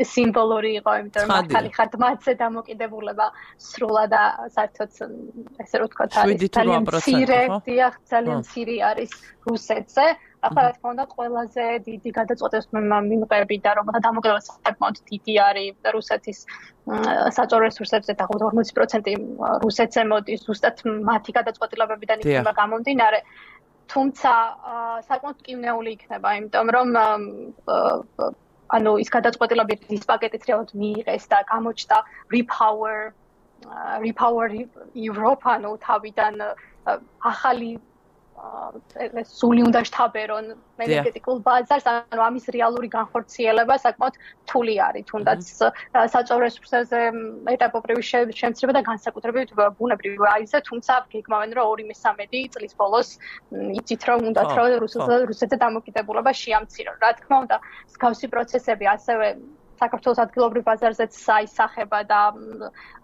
სიმბოლური იყო, იმიტომ რომ მართალი ხართ მათზე დამოკიდებულება სრულად და საერთოდ ესე რომ ვთქვათ არის ძალიან მცირე, დიახ, ძალიან მცირე არის რუსეთზე. ახლა რა თქმა უნდა ყველაზე დიდი გადაწყვეტილების მიმღები და რომელთა დამოკიდებულება საკმაოდ დიდი არის რუსეთის საჭირო რესურსებზე და ორმოცი პროცენტი რუსეთზე მოდის, ზუსტად მათი გადაწყვეტილებებიდან იქნება გამომდინარე. თუმცა საკმაოდ მტკივნეული იქნება, იმიტომ რომ ანუ ის გადაწყვეტილება ის პაკეტით რეალურად მიიღეს და გამოჩნდა Repower Repower Europe, ანუ თავიდან ახალი სული უნდა შთაბერონ ენერგეტიკულ ბაზარს, ანუ ამის რეალური განხორციელება საკმაოდ რთული არის, თუნდაც საჭირო რესურსებზე ეტაპობრივი შემცირება და განსაკუთრებით ბუნებრივ აირზე, თუმცა გეგმავენ რომ ორი მესამედი წლის ბოლოს იცით რომ უნდათ რომ რუსეთზე დამოკიდებულება შეამცირონ. რა თქმა უნდა, მსგავსი პროცესები ასევე საქართველოს ადგილობრივ ბაზარზეც აისახება და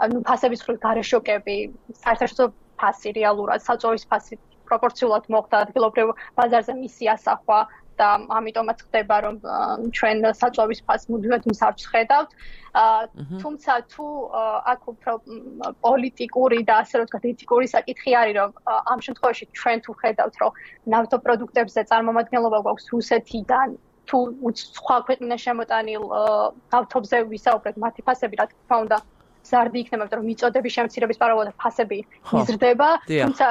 ანუ ფასების მხრივ გარეშოკები, საერთაშორისო ფასი რეალურად საჭირო ფასი პროპორციულად მოხდა ადგილობრივ ბაზარზე მისი ასახვა და ამიტომაც ხდება რომ ჩვენ საჭირო ფასს მუდმივად მსარჩ ხედავთ. თუმცა თუ აქ უფრო პოლიტიკური და ასე რომ ვთქვათ ეთიკური საკითხი არის რომ ამ შემთხვევაში ჩვენ თუ ხედავთ რომ ნავთობპროდუქტებზე წარმომადგენლობა გვაქვს რუსეთიდან თუ სხვა ქვეყნიდან შემოტანილ ნავთობზე ვისაუბრეთ, მათი ფასები რა თქმა უნდა ზარდი იქნება, რომ მიწოდების შემცირების პარალელურად ფასები იზრდება, თუმცა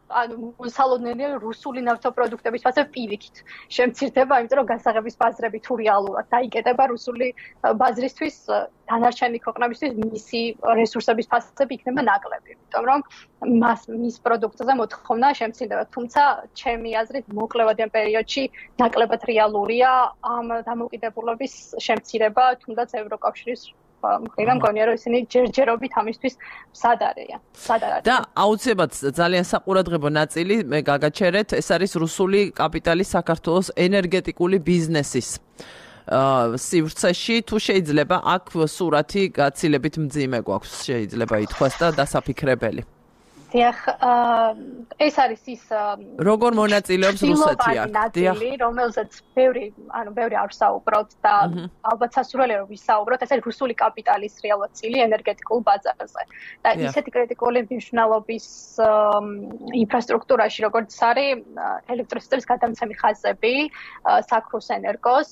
ანუ მოსალოდნელია რუსული ნავთობპროდუქტების ფასები პირიქით შემცირდება, იმიტომ რომ გასაღების ბაზრები თუ რეალურად დაიკეტება რუსული ბაზრისთვის, დანარჩენი ქვეყნებისთვის მისი რესურსების ფასები იქნება ნაკლები, იმიტომ რომ მას მის პროდუქტზე მოთხოვნა შემცირდება, თუმცა ჩემი აზრით მოკლევადიან პერიოდში ნაკლებად რეალურია ამ დამოკიდებულების შემცირება, თუნდაც ევროკავშირის მხრიდან მგონია რომ ისინი ჯერჯერობით ამისთვის მზად არიან. და აუცილებლად ძალიან საყურადღებო ნაწილი მე გაგაჩერეთ, ეს არის რუსული კაპიტალის საქართველოს ენერგეტიკული ბიზნესის სივრცეში. თუ შეიძლება აქ სურათი გაცილებით მძიმე გვაქვს, შეიძლება ითქვას და დასაფიქრებელი. დიახ, ეს არის ის როგორ მონაწილეობს რუსეთი აქ? დიახ, რომელზეც ბევრი, ანუ ბევრი არ ვსაუბრობთ და ალბათ სასურველია რომ ვისაუბროთ, ეს არის რუსული კაპიტალის რეალურად წილი ენერგეტიკულ ბაზარზე. და ისეთი კრიტიკული მნიშვნელობის ინფრასტრუქტურაში, როგორც არის ელექტროსისტემის გადამცემი ხაზები, საქრუს ენერგოს,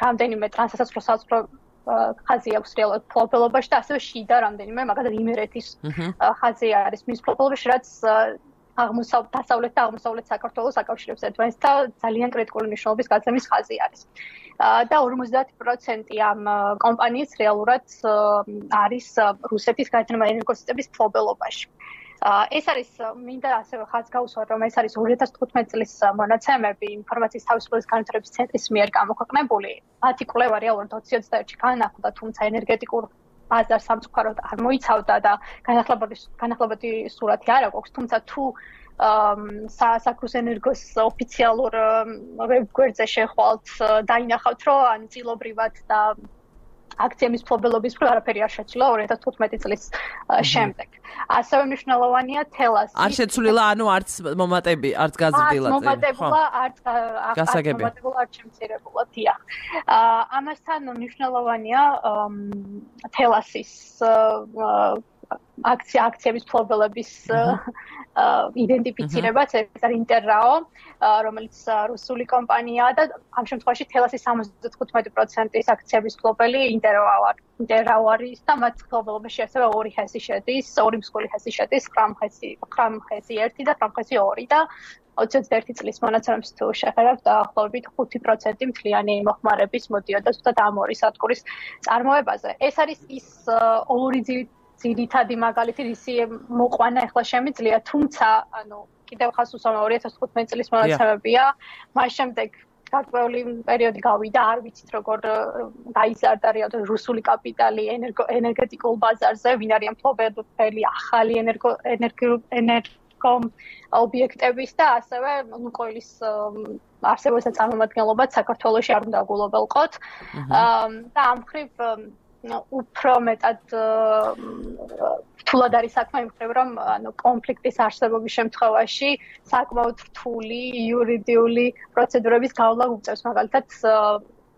რამდენიმე ტრანსსაცმლო საზღვრო ხაზი აქვს რეალურად ფლობელობაში და ასევე შიდა რამდენიმე, მაგალითად იმერეთის ხაზი არის მის ფლობელობაში, რაც აღმოსავლეთ დასავლეთ და აღმოსავლეთ საქართველოს აკავშირებს ერთმანეთს და ძალიან კრიტიკული მნიშვნელობის გაცემის ხაზი არის. და ორმოცდაათი პროცენტი ამ კომპანიის რეალურად არის რუსეთის გაერთიანებული ენერგოსისტემის მფლობელობაში. ეს არის მინდა ასევე ხაზს გავუსვათ, რომ ეს არის ორი ათას თხუთმეტი წლის მონაცემები ინფორმაციის თავისუფლების განვითარების ცენტრის მიერ გამოქვეყნებული. მათი კვლევა რეალურად ოცი ოცდაერთში განახლდა, თუმცა ენერგეტიკურ ბაზარს სამწუხაროდ არ მოიცავდა და განახლებადი განახლებადი სურათი არ აქვს, თუმცა თუ სააქროს ენერგოს ოფიციალურ ვებგვერდზე შეხვალთ დაინახავთ, რომ ან წილობრივად და აქციების მფლობელობის მხრივ არაფერი არ შეცვლილა ორი ათას თხუთმეტი წლის შემდეგ. ასევე მნიშვნელოვანია თელასი. არ შეცვლილა, ანუ არც მომატები, არც გაზრდილა წელი. მომატებულა, არც მომატებულა, არც შემცირებულა, დიახ. ამასთან მნიშვნელოვანია თელასის აქცია აქციების მფლობელების იდენტიფიცირებაც, ეს არის ინტერრაო, რომელიც რუსული კომპანიაა და ამ შემთხვევაში თელასის სამოცდათხუთმეტი პროცენტის აქციების მფლობელი ინტერრაო არის. ინტერრაო არის და მათ მფლობელობაში ასევე ორი ჰესი შედის, ორი მსხვილი ჰესი შედის, ხრამხესი, ხრამხესი ერთი და ხრამხესი ორი და ოცი ოცდაერთი წლის მონაცემებს თუ შეხედავთ, დაახლოებით ხუთი პროცენტი მთლიანი მოხმარების მოდიოდა ზუსტად ამ ორი სადგურის წარმოებაზე. ეს არის ის ორი ძირითადი მაგალითი, რისი მოყვანა ახლა შემიძლია, თუმცა, ანუ კიდევ ხას უსვამო ორი ათას თხუთმეტი წლის მონაცემებია, მას შემდეგ გარკვეული პერიოდი გავიდა, არ ვიცით როგორ გაიზარდა რეალურად რუსული კაპიტალი ენერგეტიკულ ბაზარზე, ვინ არიან მფლობელი ახალი ენერგო ენერგო ობიექტების და ასევე ლუკოილის არსებობისა და წარმომადგენლობაც საქართველოში არ უნდა გულობელყოთ. და ამ მხრივ უფრო მეტად რთულად არის საქმე იმ მხრივ, რომ ანუ კონფლიქტის არსებობის შემთხვევაში საკმაოდ რთული იურიდიული პროცედურების გავლა უწევს, მაგალითად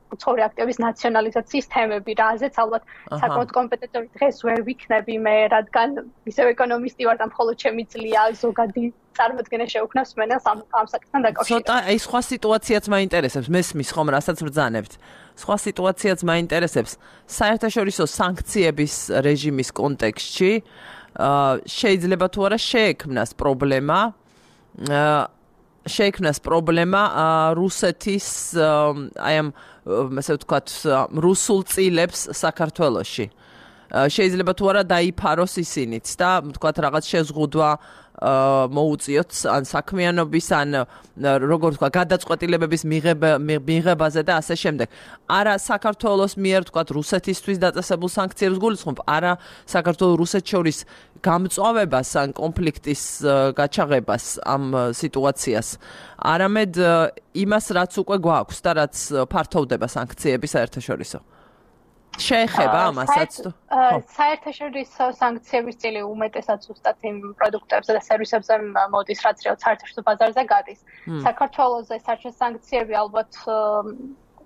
უცხოური აქტივების ნაციონალიზაციის თემები, რაზეც ალბათ საკმაოდ კომპეტენტური დღეს ვერ ვიქნები მე, რადგან ისევ ეკონომისტი ვარ და მხოლოდ შემიძლია ზოგადი წარმოდგენა შეუქმნას მენელს ამ ამ საკითხთან დაკავშირებით. ცოტა აი სხვა სიტუაციაც მაინტერესებს, მესმის ხომ რასაც ბრძანებთ. სხვა სიტუაციაც მაინტერესებს. საერთაშორისო სანქციების რეჟიმის კონტექსტში შეიძლება თუ არა შეექმნას პრობლემა შეექმნას პრობლემა რუსეთის აი ამ ასე ვთქვათ რუსულ წილებს საქართველოში. შეიძლება თუ არა დაიფაროს ისინიც და ვთქვათ რაღაც შეზღუდვა მოუწიოთ ან საქმიანობის ან როგორ ვთქვა გადაწყვეტილებების მიღებაზე და ასე შემდეგ. არა საქართველოს მიერ ვთქვათ რუსეთისთვის დაწესებულ სანქციებს გულისხმობ, არა საქართველოს რუსეთს შორის გამწვავებას ან კონფლიქტის გაჩაღებას ამ სიტუაციას. არამედ იმას რაც უკვე გვაქვს და რაც ფართოვდება სანქციების საერთაშორისო. შეეხება ამასაც თუ საერთაშორისო სანქციების წილი უმეტესად ზუსტად იმ პროდუქტებზე და სერვისებზე მოდის, რაც რეალურად საერთაშორისო ბაზარზე გადის. საქართველოზე საერთაშორისო სანქციები ალბათ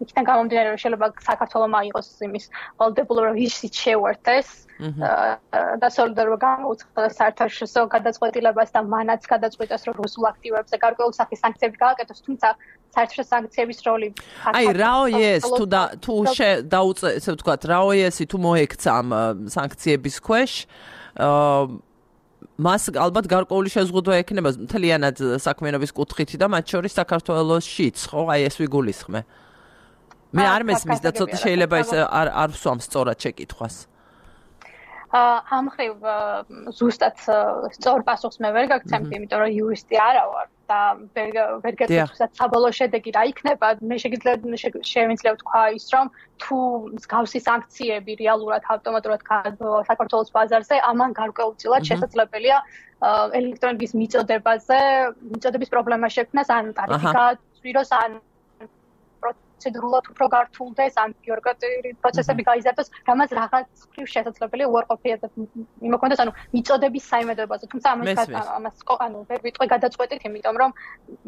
იქიდან გამომდინარე, რომ შეიძლება საქართველოს აიღოს იმის ვალდებულება, რომ ისიც შეუერთდეს და სოლიდარობა გამოუცხადეს საერთაშორისო გადაწყვეტილებას და მანაც გადაწყვეტეს, რომ რუსულ აქტივებზე გარკვეული სახის სანქციები გააკეთოს, თუმცა საერთაშორისო სანქციების როლი აი რაოიეს თუ და თუ დაუწე ესე ვთქვათ რაოიესი თუ მოექცა ამ სანქციების ქვეშ მას ალბათ გარკვეული შეზღუდვა ექნება მთლიანად საქმიანობის კუთხით და მათ შორის საქართველოსშიც, ხო? აი ეს ვიგულისხმე. მე არ მესმის და ცოტა შეიძლება ის არ არ ვსვამ სწორად შეკითხვას. ამ მხრივ ზუსტად სწორ პასუხს მე ვერ გაგცემთ, იმიტომ რომ იურისტი არა ვარ და ვერ გეტყვით საბოლოო შედეგი რა იქნება. მე შემიძლია ვთქვა ის, რომ თუ მსგავსი სანქციები რეალურად ავტომატურად საქართველოს ბაზარზე, ამან გარკვეულწილად შესაძლებელია ელექტროენერგიის მიწოდებაზე, მიწოდების პრობლემა შექმნას, ან ტარიფი გააცვიროს, ან პროცედურულად უფრო გართულდეს, ან ბიუროკრატიული პროცესები გაიზარდოს, რამაც რაღაც მხრივ შესაძლებელია უარყოფითად იმოქმედოს, ანუ მიწოდების საიმედოებაზე. თუმცა ამას ამას ანუ ვერ ვიტყვი გადაწყვეტით, იმიტომ რომ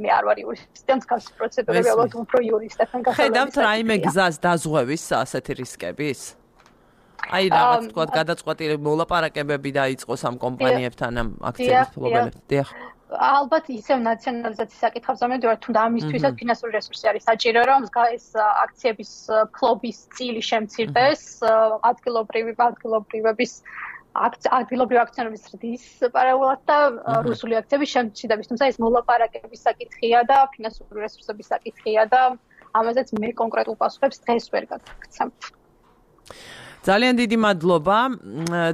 მე არ ვარ იურისტი, და მსგავსი პროცედურები ალბათ უფრო იურისტებთან გასაგებია. ხედავთ რაიმე გზას დაზღვევის ასეთი რისკების? აი რაღაც თქვა გადაწყვეტილება მოლაპარაკებები დაიწყოს ამ კომპანიებთან, ამ აქციების მფლობელებთან. დიახ. ალბათ ისევ ნაციონალიზაციის საკითხებზე მივდივარ, თუნდა ამისთვისაც ფინანსური რესურსი არის საჭირო, რომ ეს აქციების ფლობის წილი შემცირდეს, ადგილობრივი ადგილობრივების ადგილობრივი აქციონების ზრდის პარალელურად და რუსული აქციების შემჩნევების, თუმცა ეს მოლაპარაკების საკითხია და ფინანსური რესურსების საკითხია და ამაზეც მე კონკრეტულ პასუხებს დღეს ვერ გაგაცნობ. ძალიან დიდი მადლობა,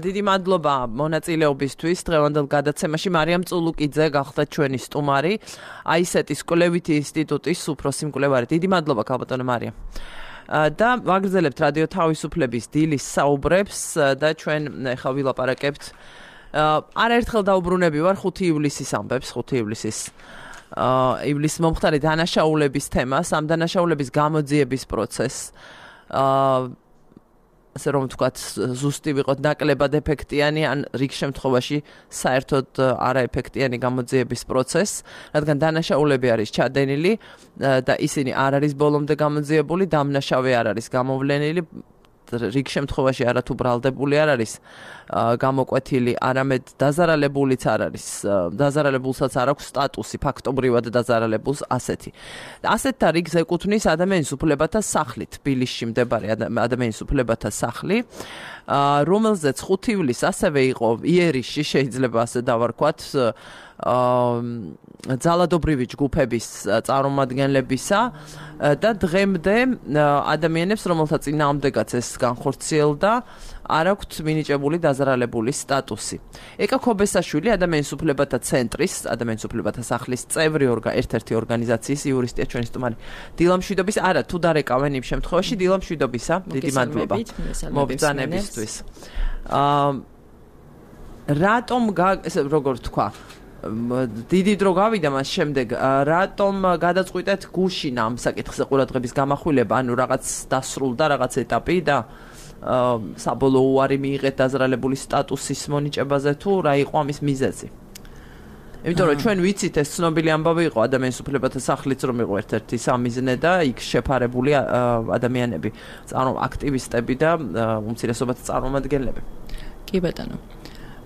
დიდი მადლობა მონაწილეობისთვის დღევანდელ გადაცემაში. მარიამ წულუკიძე გახდა ჩვენი სტუმარი, აისეტის კვლევითი ინსტიტუტის უფროსი მკვლევარი. დიდი მადლობა ქალბატონო მარიამ. და ვაგრძელებთ რადიო თავისუფლების დილის საუბრებს და ჩვენ ახლა ვილაპარაკებთ არაერთხელ დაუბრუნები ვარ ხუთი ივლისის ამბებს, ხუთი ივლისის ივლისის მომხდარი დანაშაულების თემას, ამ დანაშაულების გამოძიების პროცესს. ასე რომ ვთქვათ, ზუსტი ვიყოთ ნაკლებად ეფექტიანი, ან რიგ შემთხვევაში საერთოდ არაეფექტიანი გამოძიების პროცესს, რადგან დანაშაულები არის ჩადენილი და ისინი არ არის ბოლომდე გამოძიებული, დამნაშავე არ არის გამოვლენილი, რიგ შემთხვევაში არათუ ბრალდებული არ არის გამოკვეთილი, არამედ დაზარალებულიც არ არის, დაზარალებულსაც არ აქვს სტატუსი, ფაქტობრივად დაზარალებულს ასეთი. ასეთთა რიგს ეკუთვნის ადამიანის უფლებათა სახლი, თბილისში მდებარე ადამიანის უფლებათა სახლი, რომელზეც ხუთი ივლისს ასევე იყო იერიშში, შეიძლება ასე დავარქვათ, ძალადობრივი ჯგუფების წარმომადგენლებისა და დღემდე ადამიანებს, რომელთა წინააღმდეგაც ეს განხორციელდა, არ აქვთ მინიჭებული დაზარალებული სტატუსი. ეკა ქობესაშვილი ადამიანის უფლებათა ცენტრის, ადამიანის უფლებათა სახლის წევრი ერთ-ერთი ორგანიზაციის იურისტია ჩვენი სტუმარი დილა მშვიდობის, არა თუ დარეკავენ იმ შემთხვევაში დილა მშვიდობისა, დიდი მადლობა მობრძანებისთვის. რატომ ესე როგორ თქვა დიდი დრო გავიდა მას შემდეგ, რატომ გადაწყვიტეთ გუშინ ამ საკითხზე ყურადღების გამახვილება, ანუ რაღაც დასრულდა რაღაც ეტაპი და საბოლოო უარი მიიღეთ დაზარალებული სტატუსის მონიჭებაზე თუ რა იყო ამის მიზეზი? იმიტომ რომ ჩვენ ვიცით ეს ცნობილი ამბავი იყო ადამიანის უფლებათა სახლიც რომ იყო ერთ-ერთი სამიზნე და იქ შეფარებული ადამიანები, აქტივისტები და უმცირესობათა წარმომადგენლები. კი ბატონო.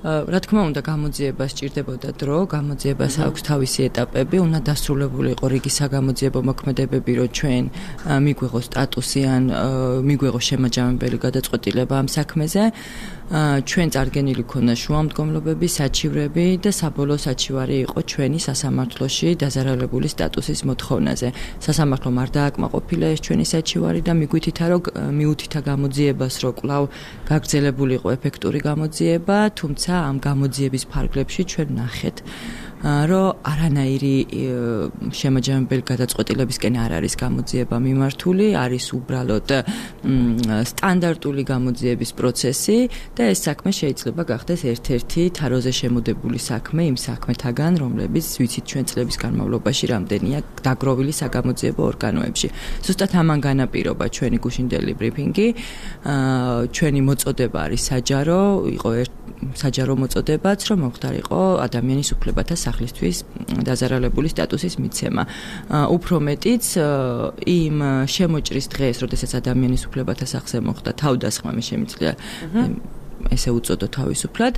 რა თქმა უნდა გამოძიება სჭირდებოდა დრო, გამოძიებას აქვს თავისი ეტაპები, უნდა დასრულებული იყო რიგი საგამოძიებო მოქმედებები, რომ ჩვენ მიგვიღოს სტატუსი ან მიგვიღოს შემაჯამებელი გადაწყვეტილება ამ საქმეზე. ჩვენ წარგენილი ქონა შუამდგომლობები, საჩივრები და საბოლოო საჩივარი იყო ჩვენი სასამართლოში დაზარალებული სტატუსის მოთხოვნაზე. სასამართლომ არ დააკმაყოფილა ეს ჩვენი საჩივარი და მიგვითითა, რომ მიუთითა გამოძიებას, რომ კვლავ გაგრძელებული იყო ეფექტური გამოძიება, თუმცა ამ გამოძიების ფარგლებში ჩვენ ნახეთ, რომ არანაირი შემაჯამებელი გადაწყვეტილებისკენ არ არის გამოძიება მიმართული, არის უბრალოდ სტანდარტული გამოძიების პროცესი და ეს საქმე შეიძლება გახდეს ერთ-ერთი თაროზე შემოდებული საქმე იმ საქმეთაგან, რომლებიც ვიცით ჩვენ წლების განმავლობაში რამდენია დაგროვილი საგამოძიებო ორგანოებში. ზუსტად ამან განაპირობა ჩვენი გუშინდელი ბრიფინგი, ჩვენი მოწოდება არის საჯარო, იყო საჯარო მოწოდებაც, რომ მომხდარიყო ადამიანის უფლებათა სახლისთვის დაზარალებული სტატუსის მიცემა. უფრო მეტიც იმ შემოჭრის დღეს, როდესაც ადამიანის უფლებათა სახლზე მოხდა თავდასხმა, მე შემიძლია ესე უწოდო თავისუფლად,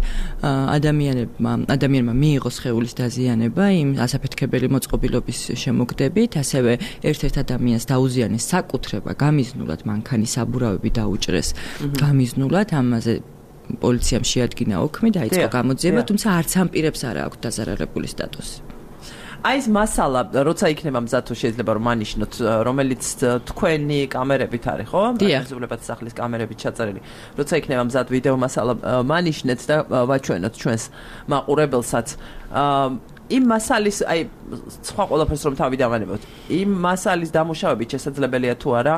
ადამიანებმა ადამიანმა მიიღო სხეულის დაზიანება იმ ასაფეთქებელი მოწყობილობის შემოგდებით, ასევე ერთ-ერთ ადამიანს დაუზიანეს საკუთრება გამიზნულად, მანქანის საბურავები დაუჭრეს გამიზნულად, ამაზე პოლიციამ შეადგინა ოქმი, დაიწყო გამოძიება, თუმცა არც ამ პირებს არ აქვს დაზარალებული სტატუსი. აი ეს მასალა, როცა იქნება მზად თუ შეიძლება რომ ანიშნოთ, რომელიც თქვენი კამერებით არის, ხო? დიახ. სახლის კამერებით ჩაწერილი. როცა იქნება მზად ვიდეო მასალა მანიშნეთ და ვაჩვენოთ ჩვენს მაყურებელსაც. იმ მასალის, აი სხვა ყველაფერს რომ თავი დავანებოთ, იმ მასალის დამუშავებით შესაძლებელია თუ არა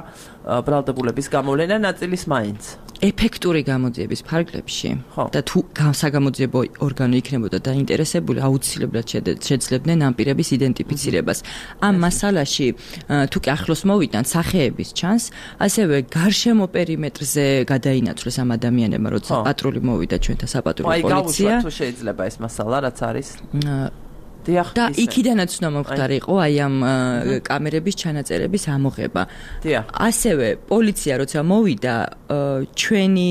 ბრალდებულების გამოვლენა ნაწილის მაინც. ეფექტური გამოძიების ფარგლებში და თუ საგამოძიებო ორგანო იქნებოდა დაინტერესებული, აუცილებლად შეძლებდნენ ამ პირების იდენტიფიცირებას. ამ მასალაში თუ კი ახლოს მოვიდან სახეების ჩანს, ასევე გარშემო პერიმეტრზე გადაინაცვლეს ამ ადამიანებმა, როცა პატრული მოვიდა ჩვენთან საპატრულო პოლიცია. აი, თუ შეიძლება ეს მასალა რაც არის. და იქიდანაც უნდა მომხდარიყო აი ამ კამერების ჩანაწერების ამოღება. ასევე პოლიცია როცა მოვიდა ჩვენი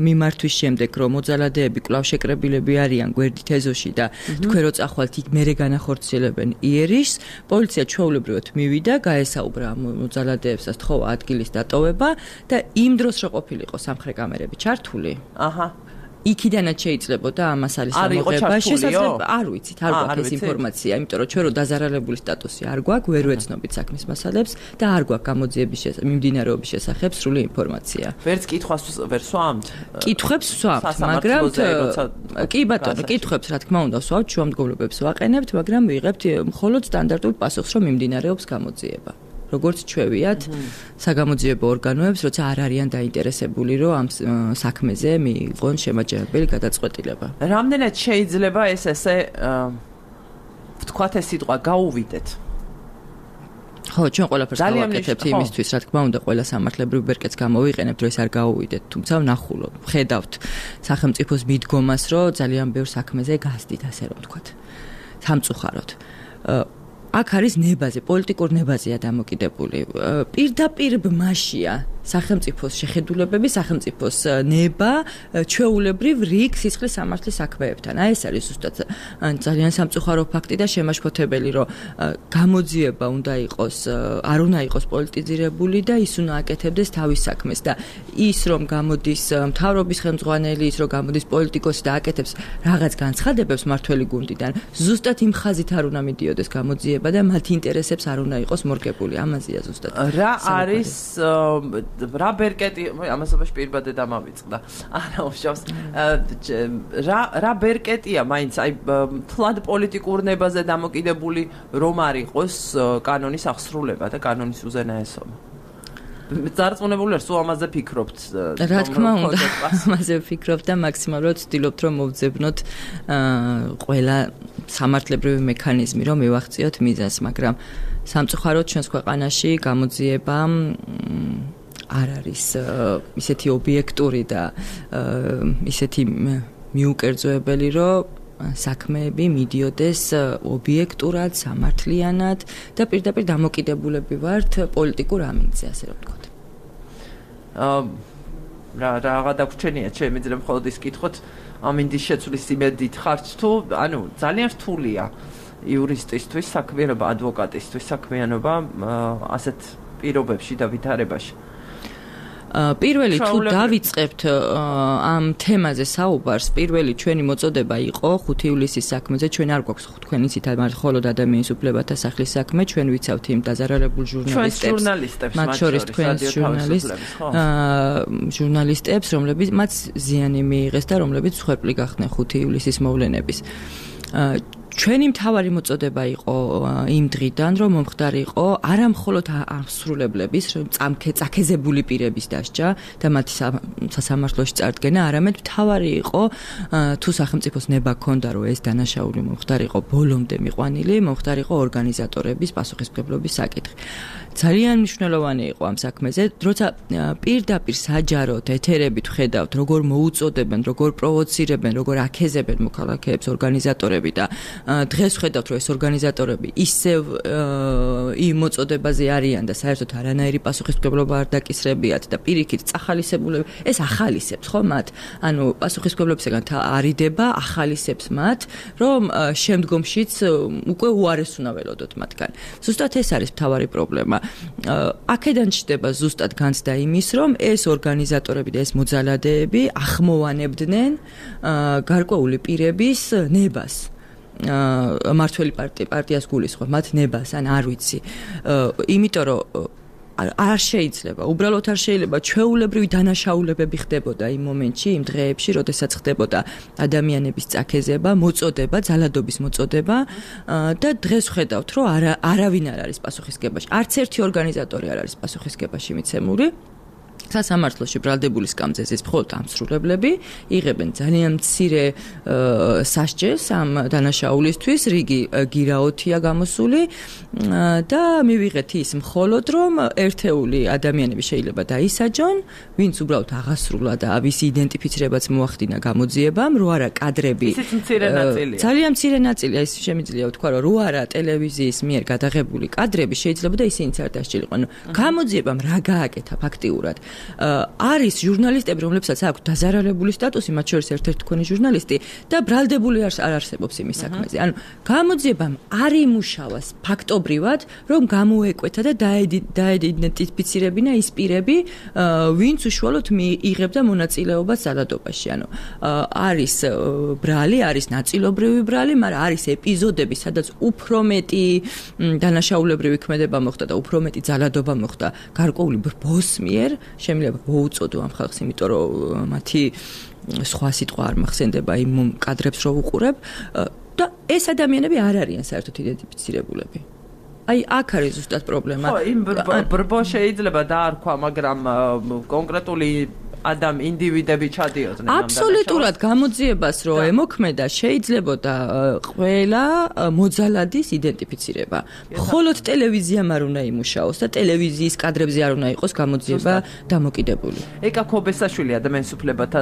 მიმართვის შემდეგ, რომ მოძალადეები კვლავ შეკრებილები არიან გვერდით ეზოში და თქვენ რო წახვალთ იქ მერე განახორციელებენ იერიშს, პოლიცია ჩვეულებრივად მივიდა, გაესაუბრა მოძალადეებს და სთხოვა ადგილის დატოვება და იმ დროს რო ყოფილიყო სამხრე კამერები ჩართული. აჰა იქიდანაც შეიძლებოდა ამას არის ამოღება შესაძლოა არ ვიცით არ გვაქვს ეს ინფორმაცია იმიტომ რომ ჩვენ რო დაზარალებული სტატუსი არ გვაქვს ვერ ვეცნობით საქმის მასალებს და არ გვაქვს გამოძიების მიმდინარეობის შესახებ სრული ინფორმაცია ვერც კითხვას ვერ სვამთ კითხვებს სვამთ მაგრამ კი ბატონო კითხვებს რა თქმა უნდა სვამთ შუამდგომლობებს ვაყენებთ მაგრამ ვიღებთ მხოლოდ სტანდარტულ პასუხს რომ მიმდინარეობს გამოძიება როგორც ჩვევიათ საგამოძიებო ორგანოებს, როცა არ არიან დაინტერესებული, რომ ამ საქმეზე მიიღონ შემაჯამებელი გადაწყვეტილება. რამდენად შეიძლება ეს ესე ვთქვათ ეს სიტყვა გაუვიდეთ? ხო, ჩვენ ყველაფერს გავაკეთებთ იმისთვის, რა თქმა უნდა, ყველა სამართლებრივ ბერკეტს გამოვიყენებთ, რომ ეს არ გაუვიდეთ, თუმცა ვნახულობ, ხედავთ სახელმწიფოს მიდგომას, რომ ძალიან ბევრ საქმეზე გასდით, ასე რომ ვთქვათ. სამწუხაროდ. აქ არის ნებაზე, პოლიტიკურ ნებაზეა დამოკიდებული. პირდაპირ ბმაშია სახელმწიფოს შეხედულებები, სახელმწიფოს ნება ჩვეულებრივ რიგ სისხლის სამართლის საქმეებთან. აი ეს არის ზუსტად ძალიან სამწუხარო ფაქტი და შემაშფოთებელი, რომ გამოძიება უნდა იყოს, არ უნდა იყოს პოლიტიზირებული და ის უნდა აკეთებდეს თავის საქმეს და ის რომ გამოდის მთავრობის ხელმძღვანელი, ის რომ გამოდის პოლიტიკოსი და აკეთებს რაღაც განცხადებებს მართველი გუნდიდან, ზუსტად იმ ხაზით არ უნდა მიდიოდეს გამოძიება და მათ ინტერესებს არ უნდა იყოს მორგებული. ამაზეა ზუსტად. რა არის რა ბერკეტი ამასობაში პირბადე დამავიწყდა. არა უშავს რა რა ბერკეტია მაინც აი თლად პოლიტიკურ ნებაზე დამოკიდებული რომ არ იყოს კანონის აღსრულება და კანონის უზენაესობა. წარწმუნებული ვარ, სულ ამაზე ფიქრობთ. რა თქმა უნდა, ამაზე ვფიქრობ და მაქსიმალურად ვცდილობთ რომ მოვძებნოთ ყველა სამართლებრივი მექანიზმი რომ მივახციოთ მიზანს, მაგრამ სამწუხაროდ ჩვენს ქვეყანაში გამოძიება არ არის ისეთი ობიექტური და ისეთი მიუკერძოებელი, რომ საქმეები მიდიოდეს ობიექტურად, სამართლიანად და პირდაპირ დამოკიდებულები ვართ პოლიტიკურ ამინდზე, ასე რომ ვთქვათ. აა რა რა დაგვრჩენია, შემიძლია მხოლოდ ის კითხოთ, ამინდის შეცვლის იმედით ხართ თუ, ანუ ძალიან რთულია იურისტისთვის საქმიანობა, ადვოკატისთვის საქმიანობა ასეთ პირობებში და ვითარებაში. პირველი თუ დავიწყებთ ამ თემაზე საუბარს, პირველი ჩვენი მოწოდება იყო ხუთი ივლისის საქმეზე, ჩვენ არ გვაქვს თქვენი ციტა, მაგრამ მხოლოდ ადამიანის უფლებათა სახლის საქმე, ჩვენ ვიცავთ იმ დაზარალებულ ჟურნალისტებს, მათ შორის თქვენს ჟურნალისტებს, რომლებიც მათ ზიანი მიიღეს და რომლებიც მსხვერპლი გახდნენ ხუთი ივლისის მოვლენების. ჩვენი მთავარი მოწოდება იყო იმ დღიდან, რომ მომხდარიყო არა მხოლოდ აღსრულებლების, წამქე წაქეზებული პირების დასჯა და მათი სასამართლოში წარდგენა, არამედ მთავარი იყო თუ სახელმწიფოს ნება ქონდა, რომ ეს დანაშაული მომხდარიყო ბოლომდე მიყვანილი, მომხდარიყო ორგანიზატორების პასუხისმგებლობის საკითხი. ძალიან მნიშვნელოვანი იყო ამ საქმეზე, როცა პირდაპირ საჯაროდ ეთერებით ხედავთ, როგორ მოუწოდებენ, როგორ პროვოცირებენ, როგორ აკეზებენ მოქალაქეებს ორგანიზატორები და დღეს ხედავთ, რომ ეს ორგანიზატორები ისევ იმ მოწოდებაზე არიან და საერთოდ არანაირი პასუხისმგებლობა არ დაკისრებიათ და პირიქით წახალისებულები, ეს ახალისებს ხო მათ? ანუ პასუხისმგებლობისგან არიდება, ახალისებს მათ, რომ შემდგომშიც უკვე უარეს უნდა ველოდოთ მათგან. ზუსტად ეს არის მთავარი პრობლემა. აქედან ჩდება ზუსტად განცდა იმის, რომ ეს ორგანიზატორები და ეს მოძალადეები ახმოვანებდნენ გარკვეული პირების ნებას. მართველი პარტიას გულისხმობ მათ ნებას, ან არ ვიცი. იმიტომ რომ არ შეიძლება, უბრალოდ არ შეიძლება ჩვეულებრივი დანაშაულებები ხდებოდა იმ მომენტში, იმ დღეებში, როდესაც ხდებოდა ადამიანების წაქეზება, მოწოდება, ძალადობის მოწოდება და დღეს ხედავთ, რომ არავინ არ არის პასუხისმგებაში. არც ერთი ორგანიზატორი არ არის პასუხისმგებაში მიცემული. სასამართლოში ბრალდებული სკამძეცის მხოლოდ ამსრულებლები იღებენ ძალიან მცირე სასჯელს ამ დანაშაულისთვის, რიგი გირაოთია გამოსული და მივიღეთ ის მხოლოდ რომ ერთეული ადამიანები შეიძლება დაისაჯონ, ვინც უბრალოდ აღასრულა და ვისი იდენტიფიცირებაც მოახდინა გამოძიებამ, რო არა კადრები. ისიც მცირე ნაწილია. ძალიან მცირე ნაწილია, ის შემიძლია ვთქვა, რომ რო არა ტელევიზიის მიერ გადაღებული კადრები შეიძლება და ისინიც არ დასჯელიყვნენ. გამოძიებამ რა გააკეთა ფაქტიურად? არის ჟურნალისტები, რომლებსაც აქვს დაზარალებული სტატუსი, მათ შორის ერთ-ერთი თქვენი ჟურნალისტი და ბრალდებული არ არსებობს იმის საქმეზე. ანუ გამოძიებამ არ იმუშავას ფაქტობრივად, რომ გამოეკვეთა და დაიდენტიფიცირებინა ის პირები, ვინც უშუალოდ იღებდა მონაწილეობას ძალადობაში. ანუ არის ბრალი, არის ნაწილობრივი ბრალი, მაგრამ არის ეპიზოდები, სადაც უფრო მეტი დანაშაულებრივი ქმედება მოხდა და უფრო მეტი ძალადობა მოხდა გარკვეული ბოს მიერ, შემიძლია მოუწოდო ამ ხალხს, იმიტომ რომ მათი სხვა სიტყვა არ მახსენდება იმ კადრებს რო უყურებ და ეს ადამიანები არ არიან საერთოდ იდენტიფიცირებულები. აი აქ არის ზუსტად პრობლემა. ხო, იმ ბრბო შეიძლება დაარქვა, მაგრამ კონკრეტული ადამ ინდივიდები ჩადიოდნენ ამ აბსოლუტურად გამოძიებას რო ემოქმედა შეიძლებოდა ყველა მოძალადის იდენტიფიცირება. მხოლოდ ტელევიზიამ არ უნდა იმუშაოს და ტელევიზიის კადრებზე არ უნდა იყოს გამოძიება დამოკიდებული. ეკა ქობესაშვილი ადამიანის უფლებათა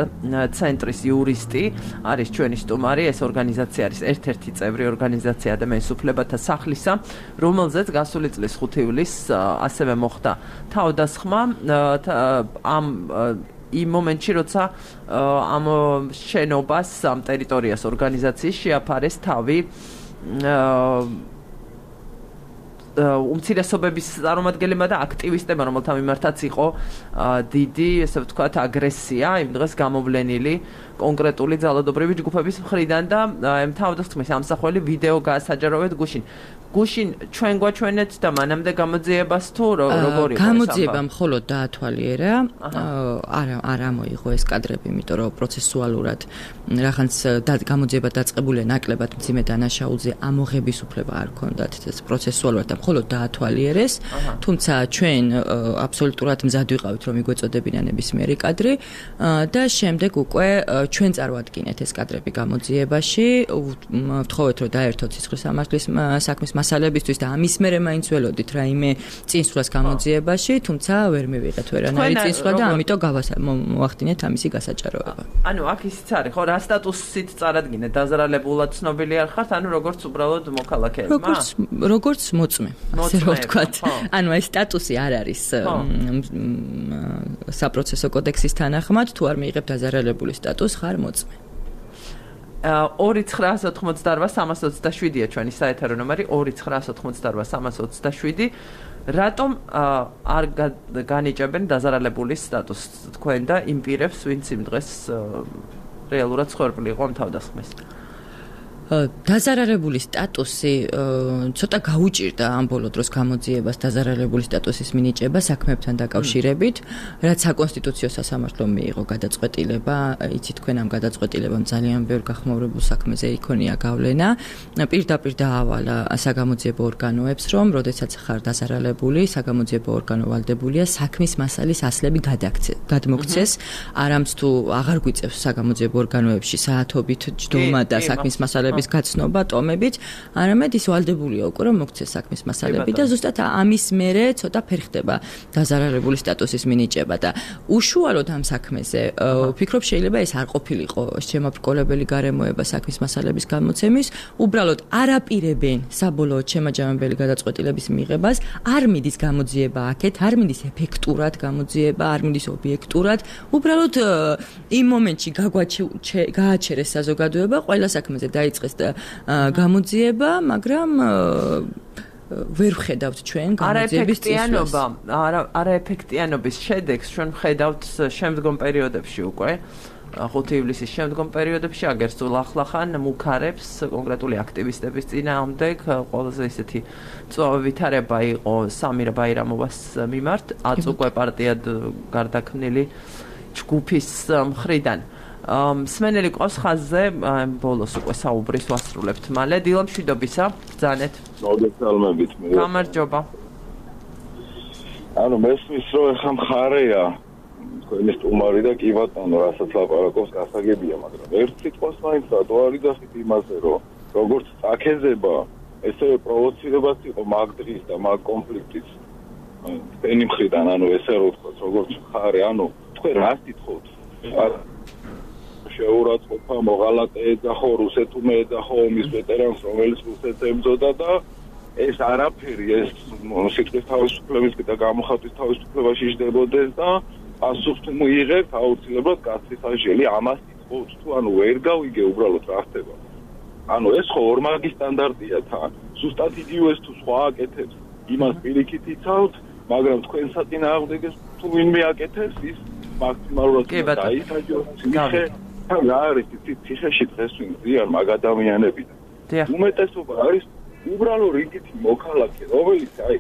ცენტრის იურისტი არის ჩვენი სტუმარი, ეს ორგანიზაცია არის ერთ-ერთი წევრი ორგანიზაცია ადამიანის უფლებათა სახლისა, რომელზეც გასული წლის ხუთი ივლისს ასევე მოხდა თავდასხმა ამ იმ მომენტში, როცა ამ შენობას, ამ ტერიტორიას ორგანიზაციის შეაფარეს თავი უმცირესობების წარმომადგენლებმა და აქტივისტებმა, რომელთა მიმართაც იყო დიდი, ესე ვთქვათ, აგრესია იმ დღეს გამოვლენილი კონკრეტული ძალადობრივი ჯგუფების მხრიდან და ამ თავდასხმის ამსახველი ვიდეო გაასაჯაროვეთ გუშინ. გუშინ ჩვენ გვაჩვენეთ და მანამდე გამოძიებას თუ როგორ იყო? გამოძიება მხოლოდ დაათვალიერა, არა არ ამოიღო ეს კადრები, იმიტომ რომ პროცესუალურად რაღაც გამოძიება დაწყებულია ნაკლებად მძიმე დანაშაულზე, ამოღების უფლება არ ჰქონდათ ეს პროცესუალურად და მხოლოდ დაათვალიერეს, თუმცა ჩვენ აბსოლუტურად მზად ვიყავით რომ მიგვეწოდებინა ნებისმიერი კადრი და შემდეგ უკვე ჩვენ წარვადგინეთ ეს კადრები გამოძიებაში, ვთხოვეთ რომ დაერთოთ სისხლის სამართლის საქმის მასალებისთვის და ამის მერე მაინც ველოდით რაიმე წინსვლას გამოძიებაში, თუმცა ვერ მივიღეთ ვერანაირი წინსვლა და ამიტომ გავახდინეთ ამისი გასაჭაროება. ანუ აქ ისიც არის, ხო, რა სტატუსით წარადგინეთ, დაზარალებულად ცნობილი არ ხართ, ანუ როგორც უბრალოდ მოქალაქეებმა? როგორც როგორც მოწმე, ასე რომ ვთქვათ. ანუ ეს სტატუსი არ არის საპროცესო კოდექსის თანახმად, თუ არ მიიღებ დაზარალებული სტატუსს, ხარ მოწმე. ორი ცხრაას ოთხმოცდაოთხ სამას ოცდაშვიდია ჩვენი საეთერო ნომერი ორი ცხრაას ოთხმოცდაოთხ სამას ოცდაშვიდი. რატომ არ განიჭებენ დაზარალებულის სტატუსს თქვენ და იმ პირებს, ვინც იმ დღეს რეალურად ცხოველი იყო ამ თავდასხმას? დაზარალებული სტატუსი ცოტა გაუჭირდა ამ ბოლო დროს გამოძიებას დაზარალებული სტატუსის მინიჭება საქმეებთან დაკავშირებით, რაც საკონსტიტუციო სასამართლომ მიიღო გადაწყვეტილება, იცით თქვენ ამ გადაწყვეტილებამ ძალიან ბევრ გახმაურებულ საქმეზე იქონია გავლენა. პირდაპირ დაავალა საგამოძიებო ორგანოებს, რომ როდესაც ხარ დაზარალებული, საგამოძიებო ორგანო ვალდებულია საქმის მასალის ასლები გადმოგცეს, არამც თუ აღარ გვიწევს საგამოძიებო ორგანოებში საათობით ჯდომა და საქმის მასალები გაცნობა ტომებით, არამედ ის ვალდებულია უკვე რომ მოგცეს საქმის მასალები და ზუსტად ამის მერე ცოტა ფერხდება დაზარალებული სტატუსის მინიჭება და უშუალოდ ამ საქმეზე ვფიქრობ შეიძლება ეს არ ყოფილიყო შემაბრკოლებელი გარემოება საქმის მასალების გამოცემის, უბრალოდ არაპირებენ საბოლოოდ შემაჯამებელი გადაწყვეტილების მიღებას, არ მიდის გამოძიება აქეთ, არ მიდის ეფექტურად გამოძიება, არ მიდის ობიექტურად, უბრალოდ იმ მომენტში გააჩერეს საზოგადოება, ყველა საქმეზე დაიწყეს და გამოძიება, მაგრამ ვერ ვხედავთ ჩვენ გამოძიების წინსვლას. არაეფექტიანობის შედეგს ჩვენ ვხედავთ შემდგომ პერიოდებში უკვე. ხუთი ივლისის შემდგომ პერიოდებში აგერ სულ ახლახან მუქარებს კონკრეტული აქტივისტების წინააღმდეგ ყველაზე ისეთი წვავი ვითარება იყო სამირ ბაირამოვას მიმართ, აწუკვე პარტიად გარდაქმნილი ჯგუფის მხრიდან. მსმენელი ყავს ხაზზე, ბოლოს უკვე საუბრის ვასრულებთ მალე. დილა მშვიდობისა, ბრძანეთ. მოგესალმებით მე. გამარჯობა. ანუ მესმის რომ ეხა მხარეა თქვენი სტუმარი და კი ბატონო, რასაც ლაპარაკობს გასაგებია, მაგრამ ერთ სიტყვას მაინც რატო არ იძახით იმაზე, რომ როგორც წაქეზება, ესე პროვოცირებას იყო მაგ დღის და მაგ კონფლიქტის თქვენი მხრიდან, ანუ ესე რომ ვთქვათ, როგორც მხარე, ანუ თქვენ რას თითხოვთ? შეურაცხყოფა მოღალატე ეძახო, რუსეთუმე ეძახო ომის ვეტერანს, რომელიც რუსეთს ემძოდა და ეს არაფერი, ეს სიტყვის თავისუფლების და გამოხატვის თავისუფლებაში იჯდებოდეს და პასუხს თუ მიიღებთ, აუცილებლად კაცის აჟელი ამას იწვევს თუ ანუ ვერ გავიგე უბრალოდ რა ხდება. ანუ ეს ხო ორმაგი სტანდარტია თან. ზუსტად იგივეს თუ სხვა აკეთებს, იმას პირიქით იცავთ, მაგრამ თქვენ საწინააღმდეგეს თუ ვინმე აკეთებს, ის მაქსიმალურად დაისაჯოს. ციხე თან რა არის ციხეში დღეს ვინ ზიან მაგ ადამიანებიდან. უმეტესობა არის უბრალოდ რიგითი მოქალაქე, რომელიც აი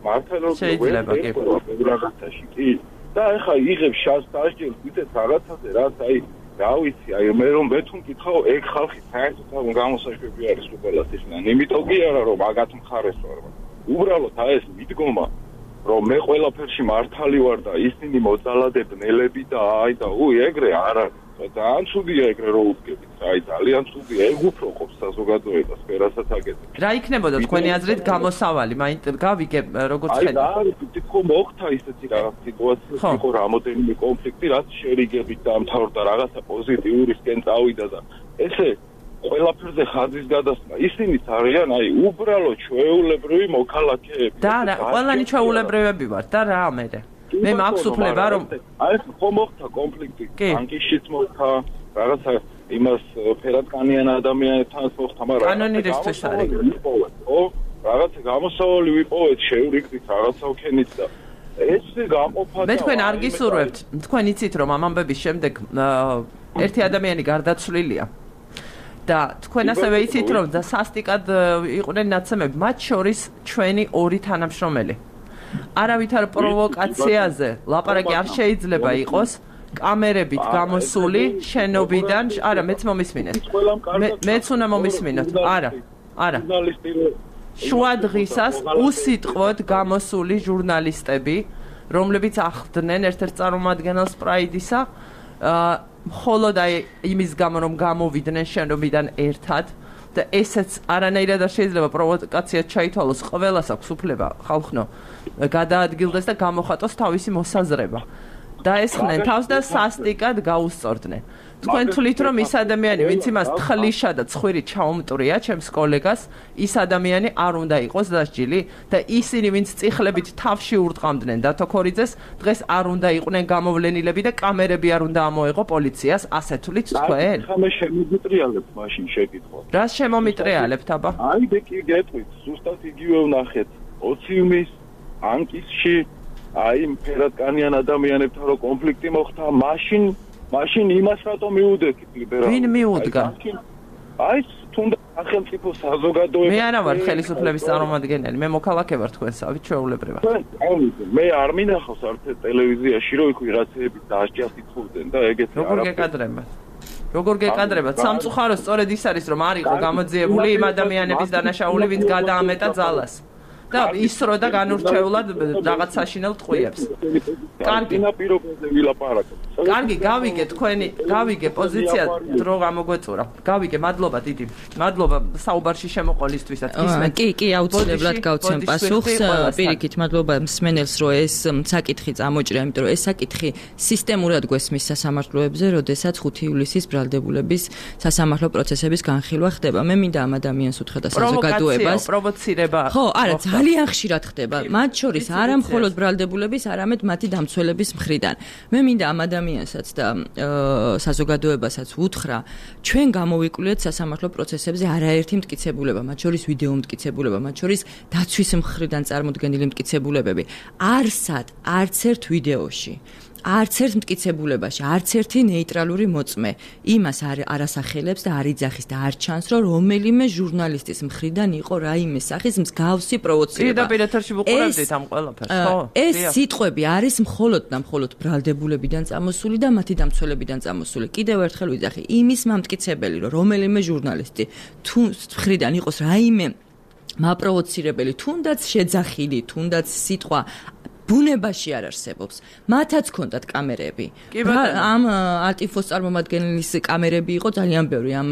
მართლაც ვერაგაცაში კი და ეხა იღებს შანსს დაასჯეროს ვიდეც რაღაცაზე რაც აი რა ვიცი აი მე რომ მე თუ მკითხავ ეგ ხალხი საერთოდ გამოსაშვები არის ყველას ისნან იმიტომ კი არა რომ მაგათ მხარეს ვარ უბრალოდ აი ეს მიდგომა რომ მე ყველაფერში მართალი ვარ და ისინი მოძალადებნელები და აი და უი ეგრე არ არის ძალიან ცუდია ეგრე რო უდგებით აი ძალიან ცუდია ეგ უფრო ყოფს საზოგადოებას ვერასაც აკეთებს რა იქნებოდა თქვენი აზრით გამოსავალი მაინტერესებს გავიგე როგორც ხედავ აი რა თქო მოხდა ისეთი რაღაც სიტუაცია იყო რამოდენიმე კონფლიქტი რაც შერიგებით დამთავრდა რაღაცა პოზიტიურისკენ წავიდა და ესე ყველაფერზე ხაზის გადასმა ისინიც არიან აი უბრალოდ ჩვეულებრივი მოქალაქეები და რა ყველანი ჩვეულებრივები ვართ და რა მერე მე მაქვს უფლება რომ აი ეს ხომ მოხდა კონფლიქტი ბანკიშიც მოხდა რაღაცა იმას ფერატკანიან ადამიანებთან მოხდა მაგრამ კანონირისთვის არის ო რაღაცა გამოსავალი ვიპოვეთ შევრიგდით რაღაცა ვქენით და ეს გამოყოფა მე თქვენ არ გისურვებთ თქვენ იცით რომ ამ ამბების შემდეგ ერთი ადამიანი გარდაცვლილია და თქვენ ასევე იცით რომ და სასტიკად იყვნენ ნაცემები მათ შორის ჩვენი ორი თანამშრომელი არავითარ პროვოკაციაზე ლაპარაკი არ შეიძლება იყოს კამერებით გამოსული შენობიდან არა მეც მომისმინეთ მეც უნდა მომისმინოთ არა არა შუა დღისას უსიტყვოდ გამოსული ჟურნალისტები რომლებიც ახდნენ ერთ-ერთ წარმომადგენელს პრაიდისა მხოლოდ აი იმის გამო რომ გამოვიდნენ შენობიდან ერთად და ესეც არანაირად არ შეიძლება პროვოკაციად ჩაითვალოს ყველას აქვს უფლება ხალხნო გადაადგილდეს და გამოხატოს თავისი მოსაზრება დაესხნენ თავს და სასტიკად გაუსწორდნენ თქვენ თვლით რომ ის ადამიანი ვინც იმას თხლიშა და ცხვირი ჩაუმტრია ჩემს კოლეგას ის ადამიანი არ უნდა იყოს დასჯილი და ისინი ვინც წიხლებით თავში ურტყამდნენ დათო ქორიძეს დღეს არ უნდა იყვნენ გამოვლენილები და კამერები არ უნდა ამოეღო პოლიციას ასე თვლით თქვენ ხამე შემომიტრიალებთ მაშინ შეკითხვა რას შემომიტრიალებთ აბა აი და კი გეტყვით ზუსტად იგივე ვნახეთ ოციუმის ანკისში აი ფერატკანიან ადამიანებთან რო კონფლიქტი მოხდა მაშინ მაშინ იმას რატომ მიუდექით ლიბერალს ვინ მიუდგა აი თუნდაც სახელმწიფო საზოგადოება მე არა ვარ ხელისუფლების წარმომადგენელი მე მოქალაქე ვარ თქვენსავით ჩვეულებრივად მე არ მინახავს არც ტელევიზიაში რომ იქ ვიღაცები დასჯას იწვევდნენ და ეგეთი როგორ გეკადრებათ როგორ გეკადრებათ სამწუხაროდ სწორედ ის არის რომ არ იყო გამოძიებული იმ ადამიანების დანაშაული ვინც გადაამეტა ძალას და ისრო და განურჩეულად რაღაც საშინელ ტყვიებს. კარგი. კარგი, გავიგე თქვენი, გავიგე პოზიცია დრო გამოგვეწურა. გავიგე, მადლობა დიდი. მადლობა საუბარში შემოყოლისთვისაც. ისმენ. კი, კი, აუცილებლად გავცემ პასუხს. პირიქით, მადლობა მსმენელს, რომ ეს საკითხი წამოჭრა, იმიტომ რომ ეს საკითხი სისტემურად გვესმის სასამართლოებზე, როდესაც ხუთი ივლისის ბრალდებულების სასამართლო პროცესების განხილვა ხდება. მე მინდა ამ ადამიანს უთხრა და საზოგადოებას. პროვოცირება. ხო, არა, ძალიან ხშირად ხდება. მათ შორის არა მხოლოდ ბრალდებულების, არამედ მათი დამცველების მხრიდან. მე მინდა ამ ადამიანსაც და საზოგადოებასაც უთხრა, ჩვენ გამოვიკვლიეთ სასამართლო პროცესებზე არაერთი მტკიცებულება, მათ შორის ვიდეო მტკიცებულება, მათ შორის დაცვის მხრიდან წარმოდგენილი მტკიცებულებები. არსად, არც ერთ ვიდეოში არც ერთ მტკიცებულებაში, არც ერთი ნეიტრალური მოწმე იმას არ არასახელებს და არ იძახის და არ ჩანს, რომ რომელიმე ჟურნალისტის მხრიდან იყო რაიმე სახის მსგავსი პროვოცირება. პირდაპირ ეთერში ვუყურებდით ამ ყველაფერს, ხო? ეს სიტყვები არის მხოლოდ და მხოლოდ ბრალდებულებიდან წამოსული და მათი დამცველებიდან წამოსული. კიდევ ერთხელ ვიძახი, იმის მამტკიცებელი, რომ რომელიმე ჟურნალისტი თუ მხრიდან იყოს რაიმე მაპროვოცირებელი, თუნდაც შეძახილი, თუნდაც სიტყვა ბუნებაში არ არსებობს. მათაც ჰქონდათ კამერები. ამ ალტიფოს წარმომადგენლის კამერები იყო ძალიან ბევრი ამ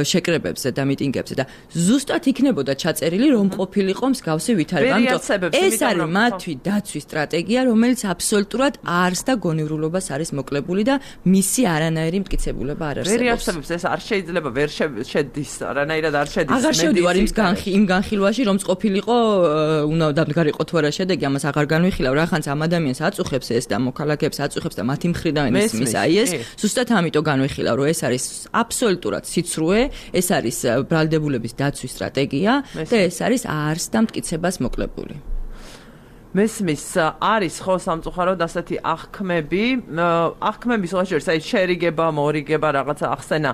შეკრებებზე და მიტინგებზე და ზუსტად იქნებოდა ჩაწერილი რომ ყოფილიყო მსგავსი ვითარება. ამიტომ ეს არის მათი დაცვის სტრატეგია, რომელიც აბსოლუტურად არს და გონივრულობას არის მოკლებული და მისი არანაირი მტკიცებულება არ არსებობს. ვერ არსებობს, ეს არ შეიძლება ვერ შედის, არანაირად არ შედის. აღარ შევდივარ იმ განხილვაში, რომ ყოფილიყო უნდა დამდგარიყო თუ არა შედეგი, ამას აღარ განვიხილავ რაღაცა ამ ადამიანს აწუხებს ეს და მოქალაქეებს აწუხებს და მათი მხრიდან ისმის აი ეს ზუსტად ამიტომ განვიხილავ რომ ეს არის აბსოლუტურად სიცრუე ეს არის ბრალდებულების დაცვის სტრატეგია და ეს არის არს და მტკიცებას მოკლებული მესმის არის ხო სამწუხაროდ ასეთი აღქმები აღქმები სხვაშორის აი შერიგება მორიგება რაღაცა ახსენა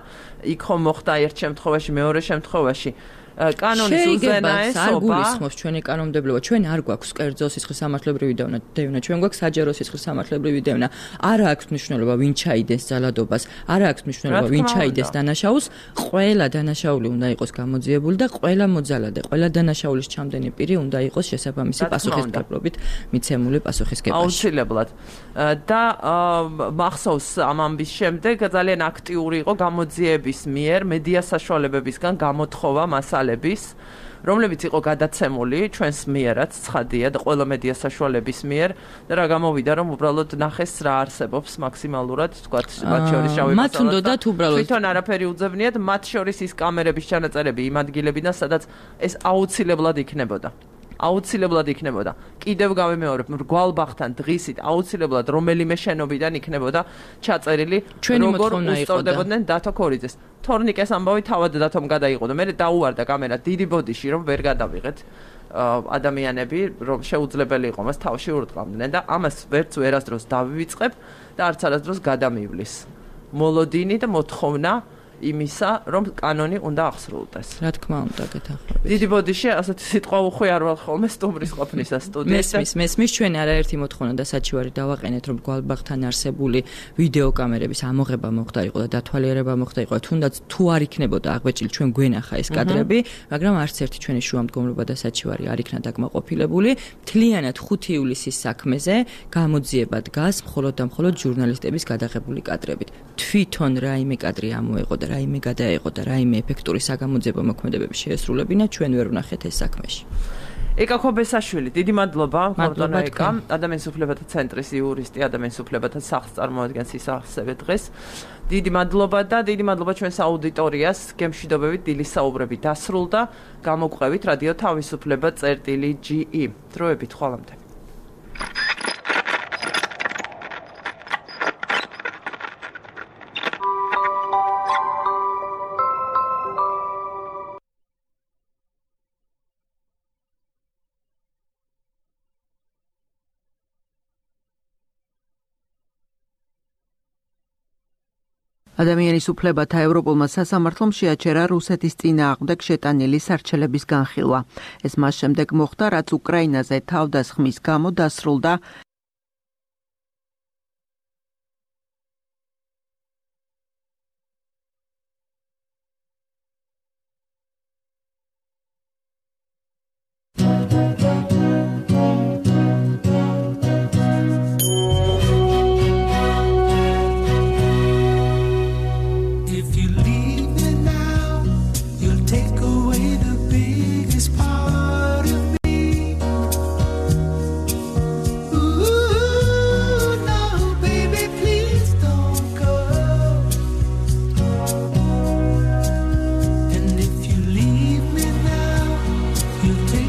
იქ ხომ მოხდა ერთ შემთხვევაში მეორე შემთხვევაში კანონის უზენაესობა არ გულისხმობს ჩვენი კანონმდებლობა ჩვენ არ გვაქვს კერძო სისხლის სამართლებრივი დევნა ჩვენ გვაქვს საჯარო სისხლის სამართლებრივი დევნა არ აქვს მნიშვნელობა ვინ ჩაიდეს ძალადობას არ აქვს მნიშვნელობა ვინ ჩაიდეს დანაშაულს ყველა დანაშაული უნდა იყოს გამოძიებული და ყველა მოძალადე ყველა დანაშაულის ჩამდენი პირი უნდა იყოს შესაბამისი პასუხისმგებლობით მიცემული პასუხისგებაში აუცილებლად და მახსოვს ამ ამბის შემდეგ ძალიან აქტიური იყო გამოძიების მიერ მედია საშუალებებისგან გამოთხოვა მასალა რომლებიც იყო გადაცემული ჩვენს მიერაც ცხადია და ყველა მედია საშუალების მიერ და რა გამოვიდა რომ უბრალოდ ნახეს რა არსებობს მაქსიმალურად თქვათ მათ შორის შავი მათ უნდათ უბრალოდ თვითონ არაფერი უძებნიათ მათ შორის ის კამერების ჩანაწერები იმ ადგილებიდან სადაც ეს აუცილებლად იქნებოდა აუცილებლად იქნებოდა კიდევ გავიმეორებ მრგვალბახთან დღისით აუცილებლად რომელიმე შენობიდან იქნებოდა ჩაწერილი როგორ უსწორდებოდნენ დათო ქორიძეს თორნიკეს ამბავი თავად დათომ გადაიყო და მე დაუვარდა კამერა დიდი ბოდიში რომ ვერ გადავიღეთ ადამიანები რომ შეუძლებელი იყო მას თავში ურტყამდნენ და ამას ვერც ვერასდროს დავივიწყებ და არც არასდროს გადამივლის მოლოდინი და მოთხოვნა იმისა, რომ კანონი უნდა აღსრულდეს. რა თქმა უნდა, გეთანხმებით. დიდი ბოდიში ასეთი სიტყვა უხვიარვალ ხოლმე სტუმრის ყოფნისა სტუდიაში. მესმის, მესმის ჩვენ არაერთი მოთხოვნა და საჩივარი დავაყენეთ, რომ გვალბაღთან არსებული ვიდეო კამერების ამოღება მოხდა იყო და დათვალიერება მოხდა იყო, თუნდაც თუ არ იქნებოდა აღბეჭილი ჩვენ გვენახა ეს კადრები, მაგრამ არც ერთი ჩვენი შუამდგომლობა და საჩივარი არ იქნა დაკმაყოფილებული. მთლიანად ხუთი ივლისის საქმეზე გამოძიება დგას მხოლოდ და მხოლოდ ჟურნალისტების გადაღებული კადრებით. თვითონ რაიმე კადრი ამოეყო და რაიმე გადაეყო და რაიმე ეფექტური საგამოძიებო მოქმედებები შეესრულებინა, ჩვენ ვერ ვნახეთ ეს საქმეში. ეკა ხობესაშვილი, დიდი მადლობა, გორდონა ეკა, ადამიანის უფლებათა ცენტრის იურისტი, ადამიანის უფლებათა სახლს წარმოადგენს ის ასევე დღეს. დიდი მადლობა და დიდი მადლობა ჩვენს აუდიტორიას, გემშვიდობებით დილის საუბრები დასრულდა, გამოგვყევით რადიო თავისუფლება წერტილი ჯი ი. დროებით ხვალამდე. ადამიანის უფლებათა ევროპულმა სასამართლომ შეაჩერა რუსეთის წინააღმდეგ შეტანილი სარჩელების განხილვა. ეს მას შემდეგ მოხდა, რაც უკრაინაზე თავდასხმის გამო დასრულდა you take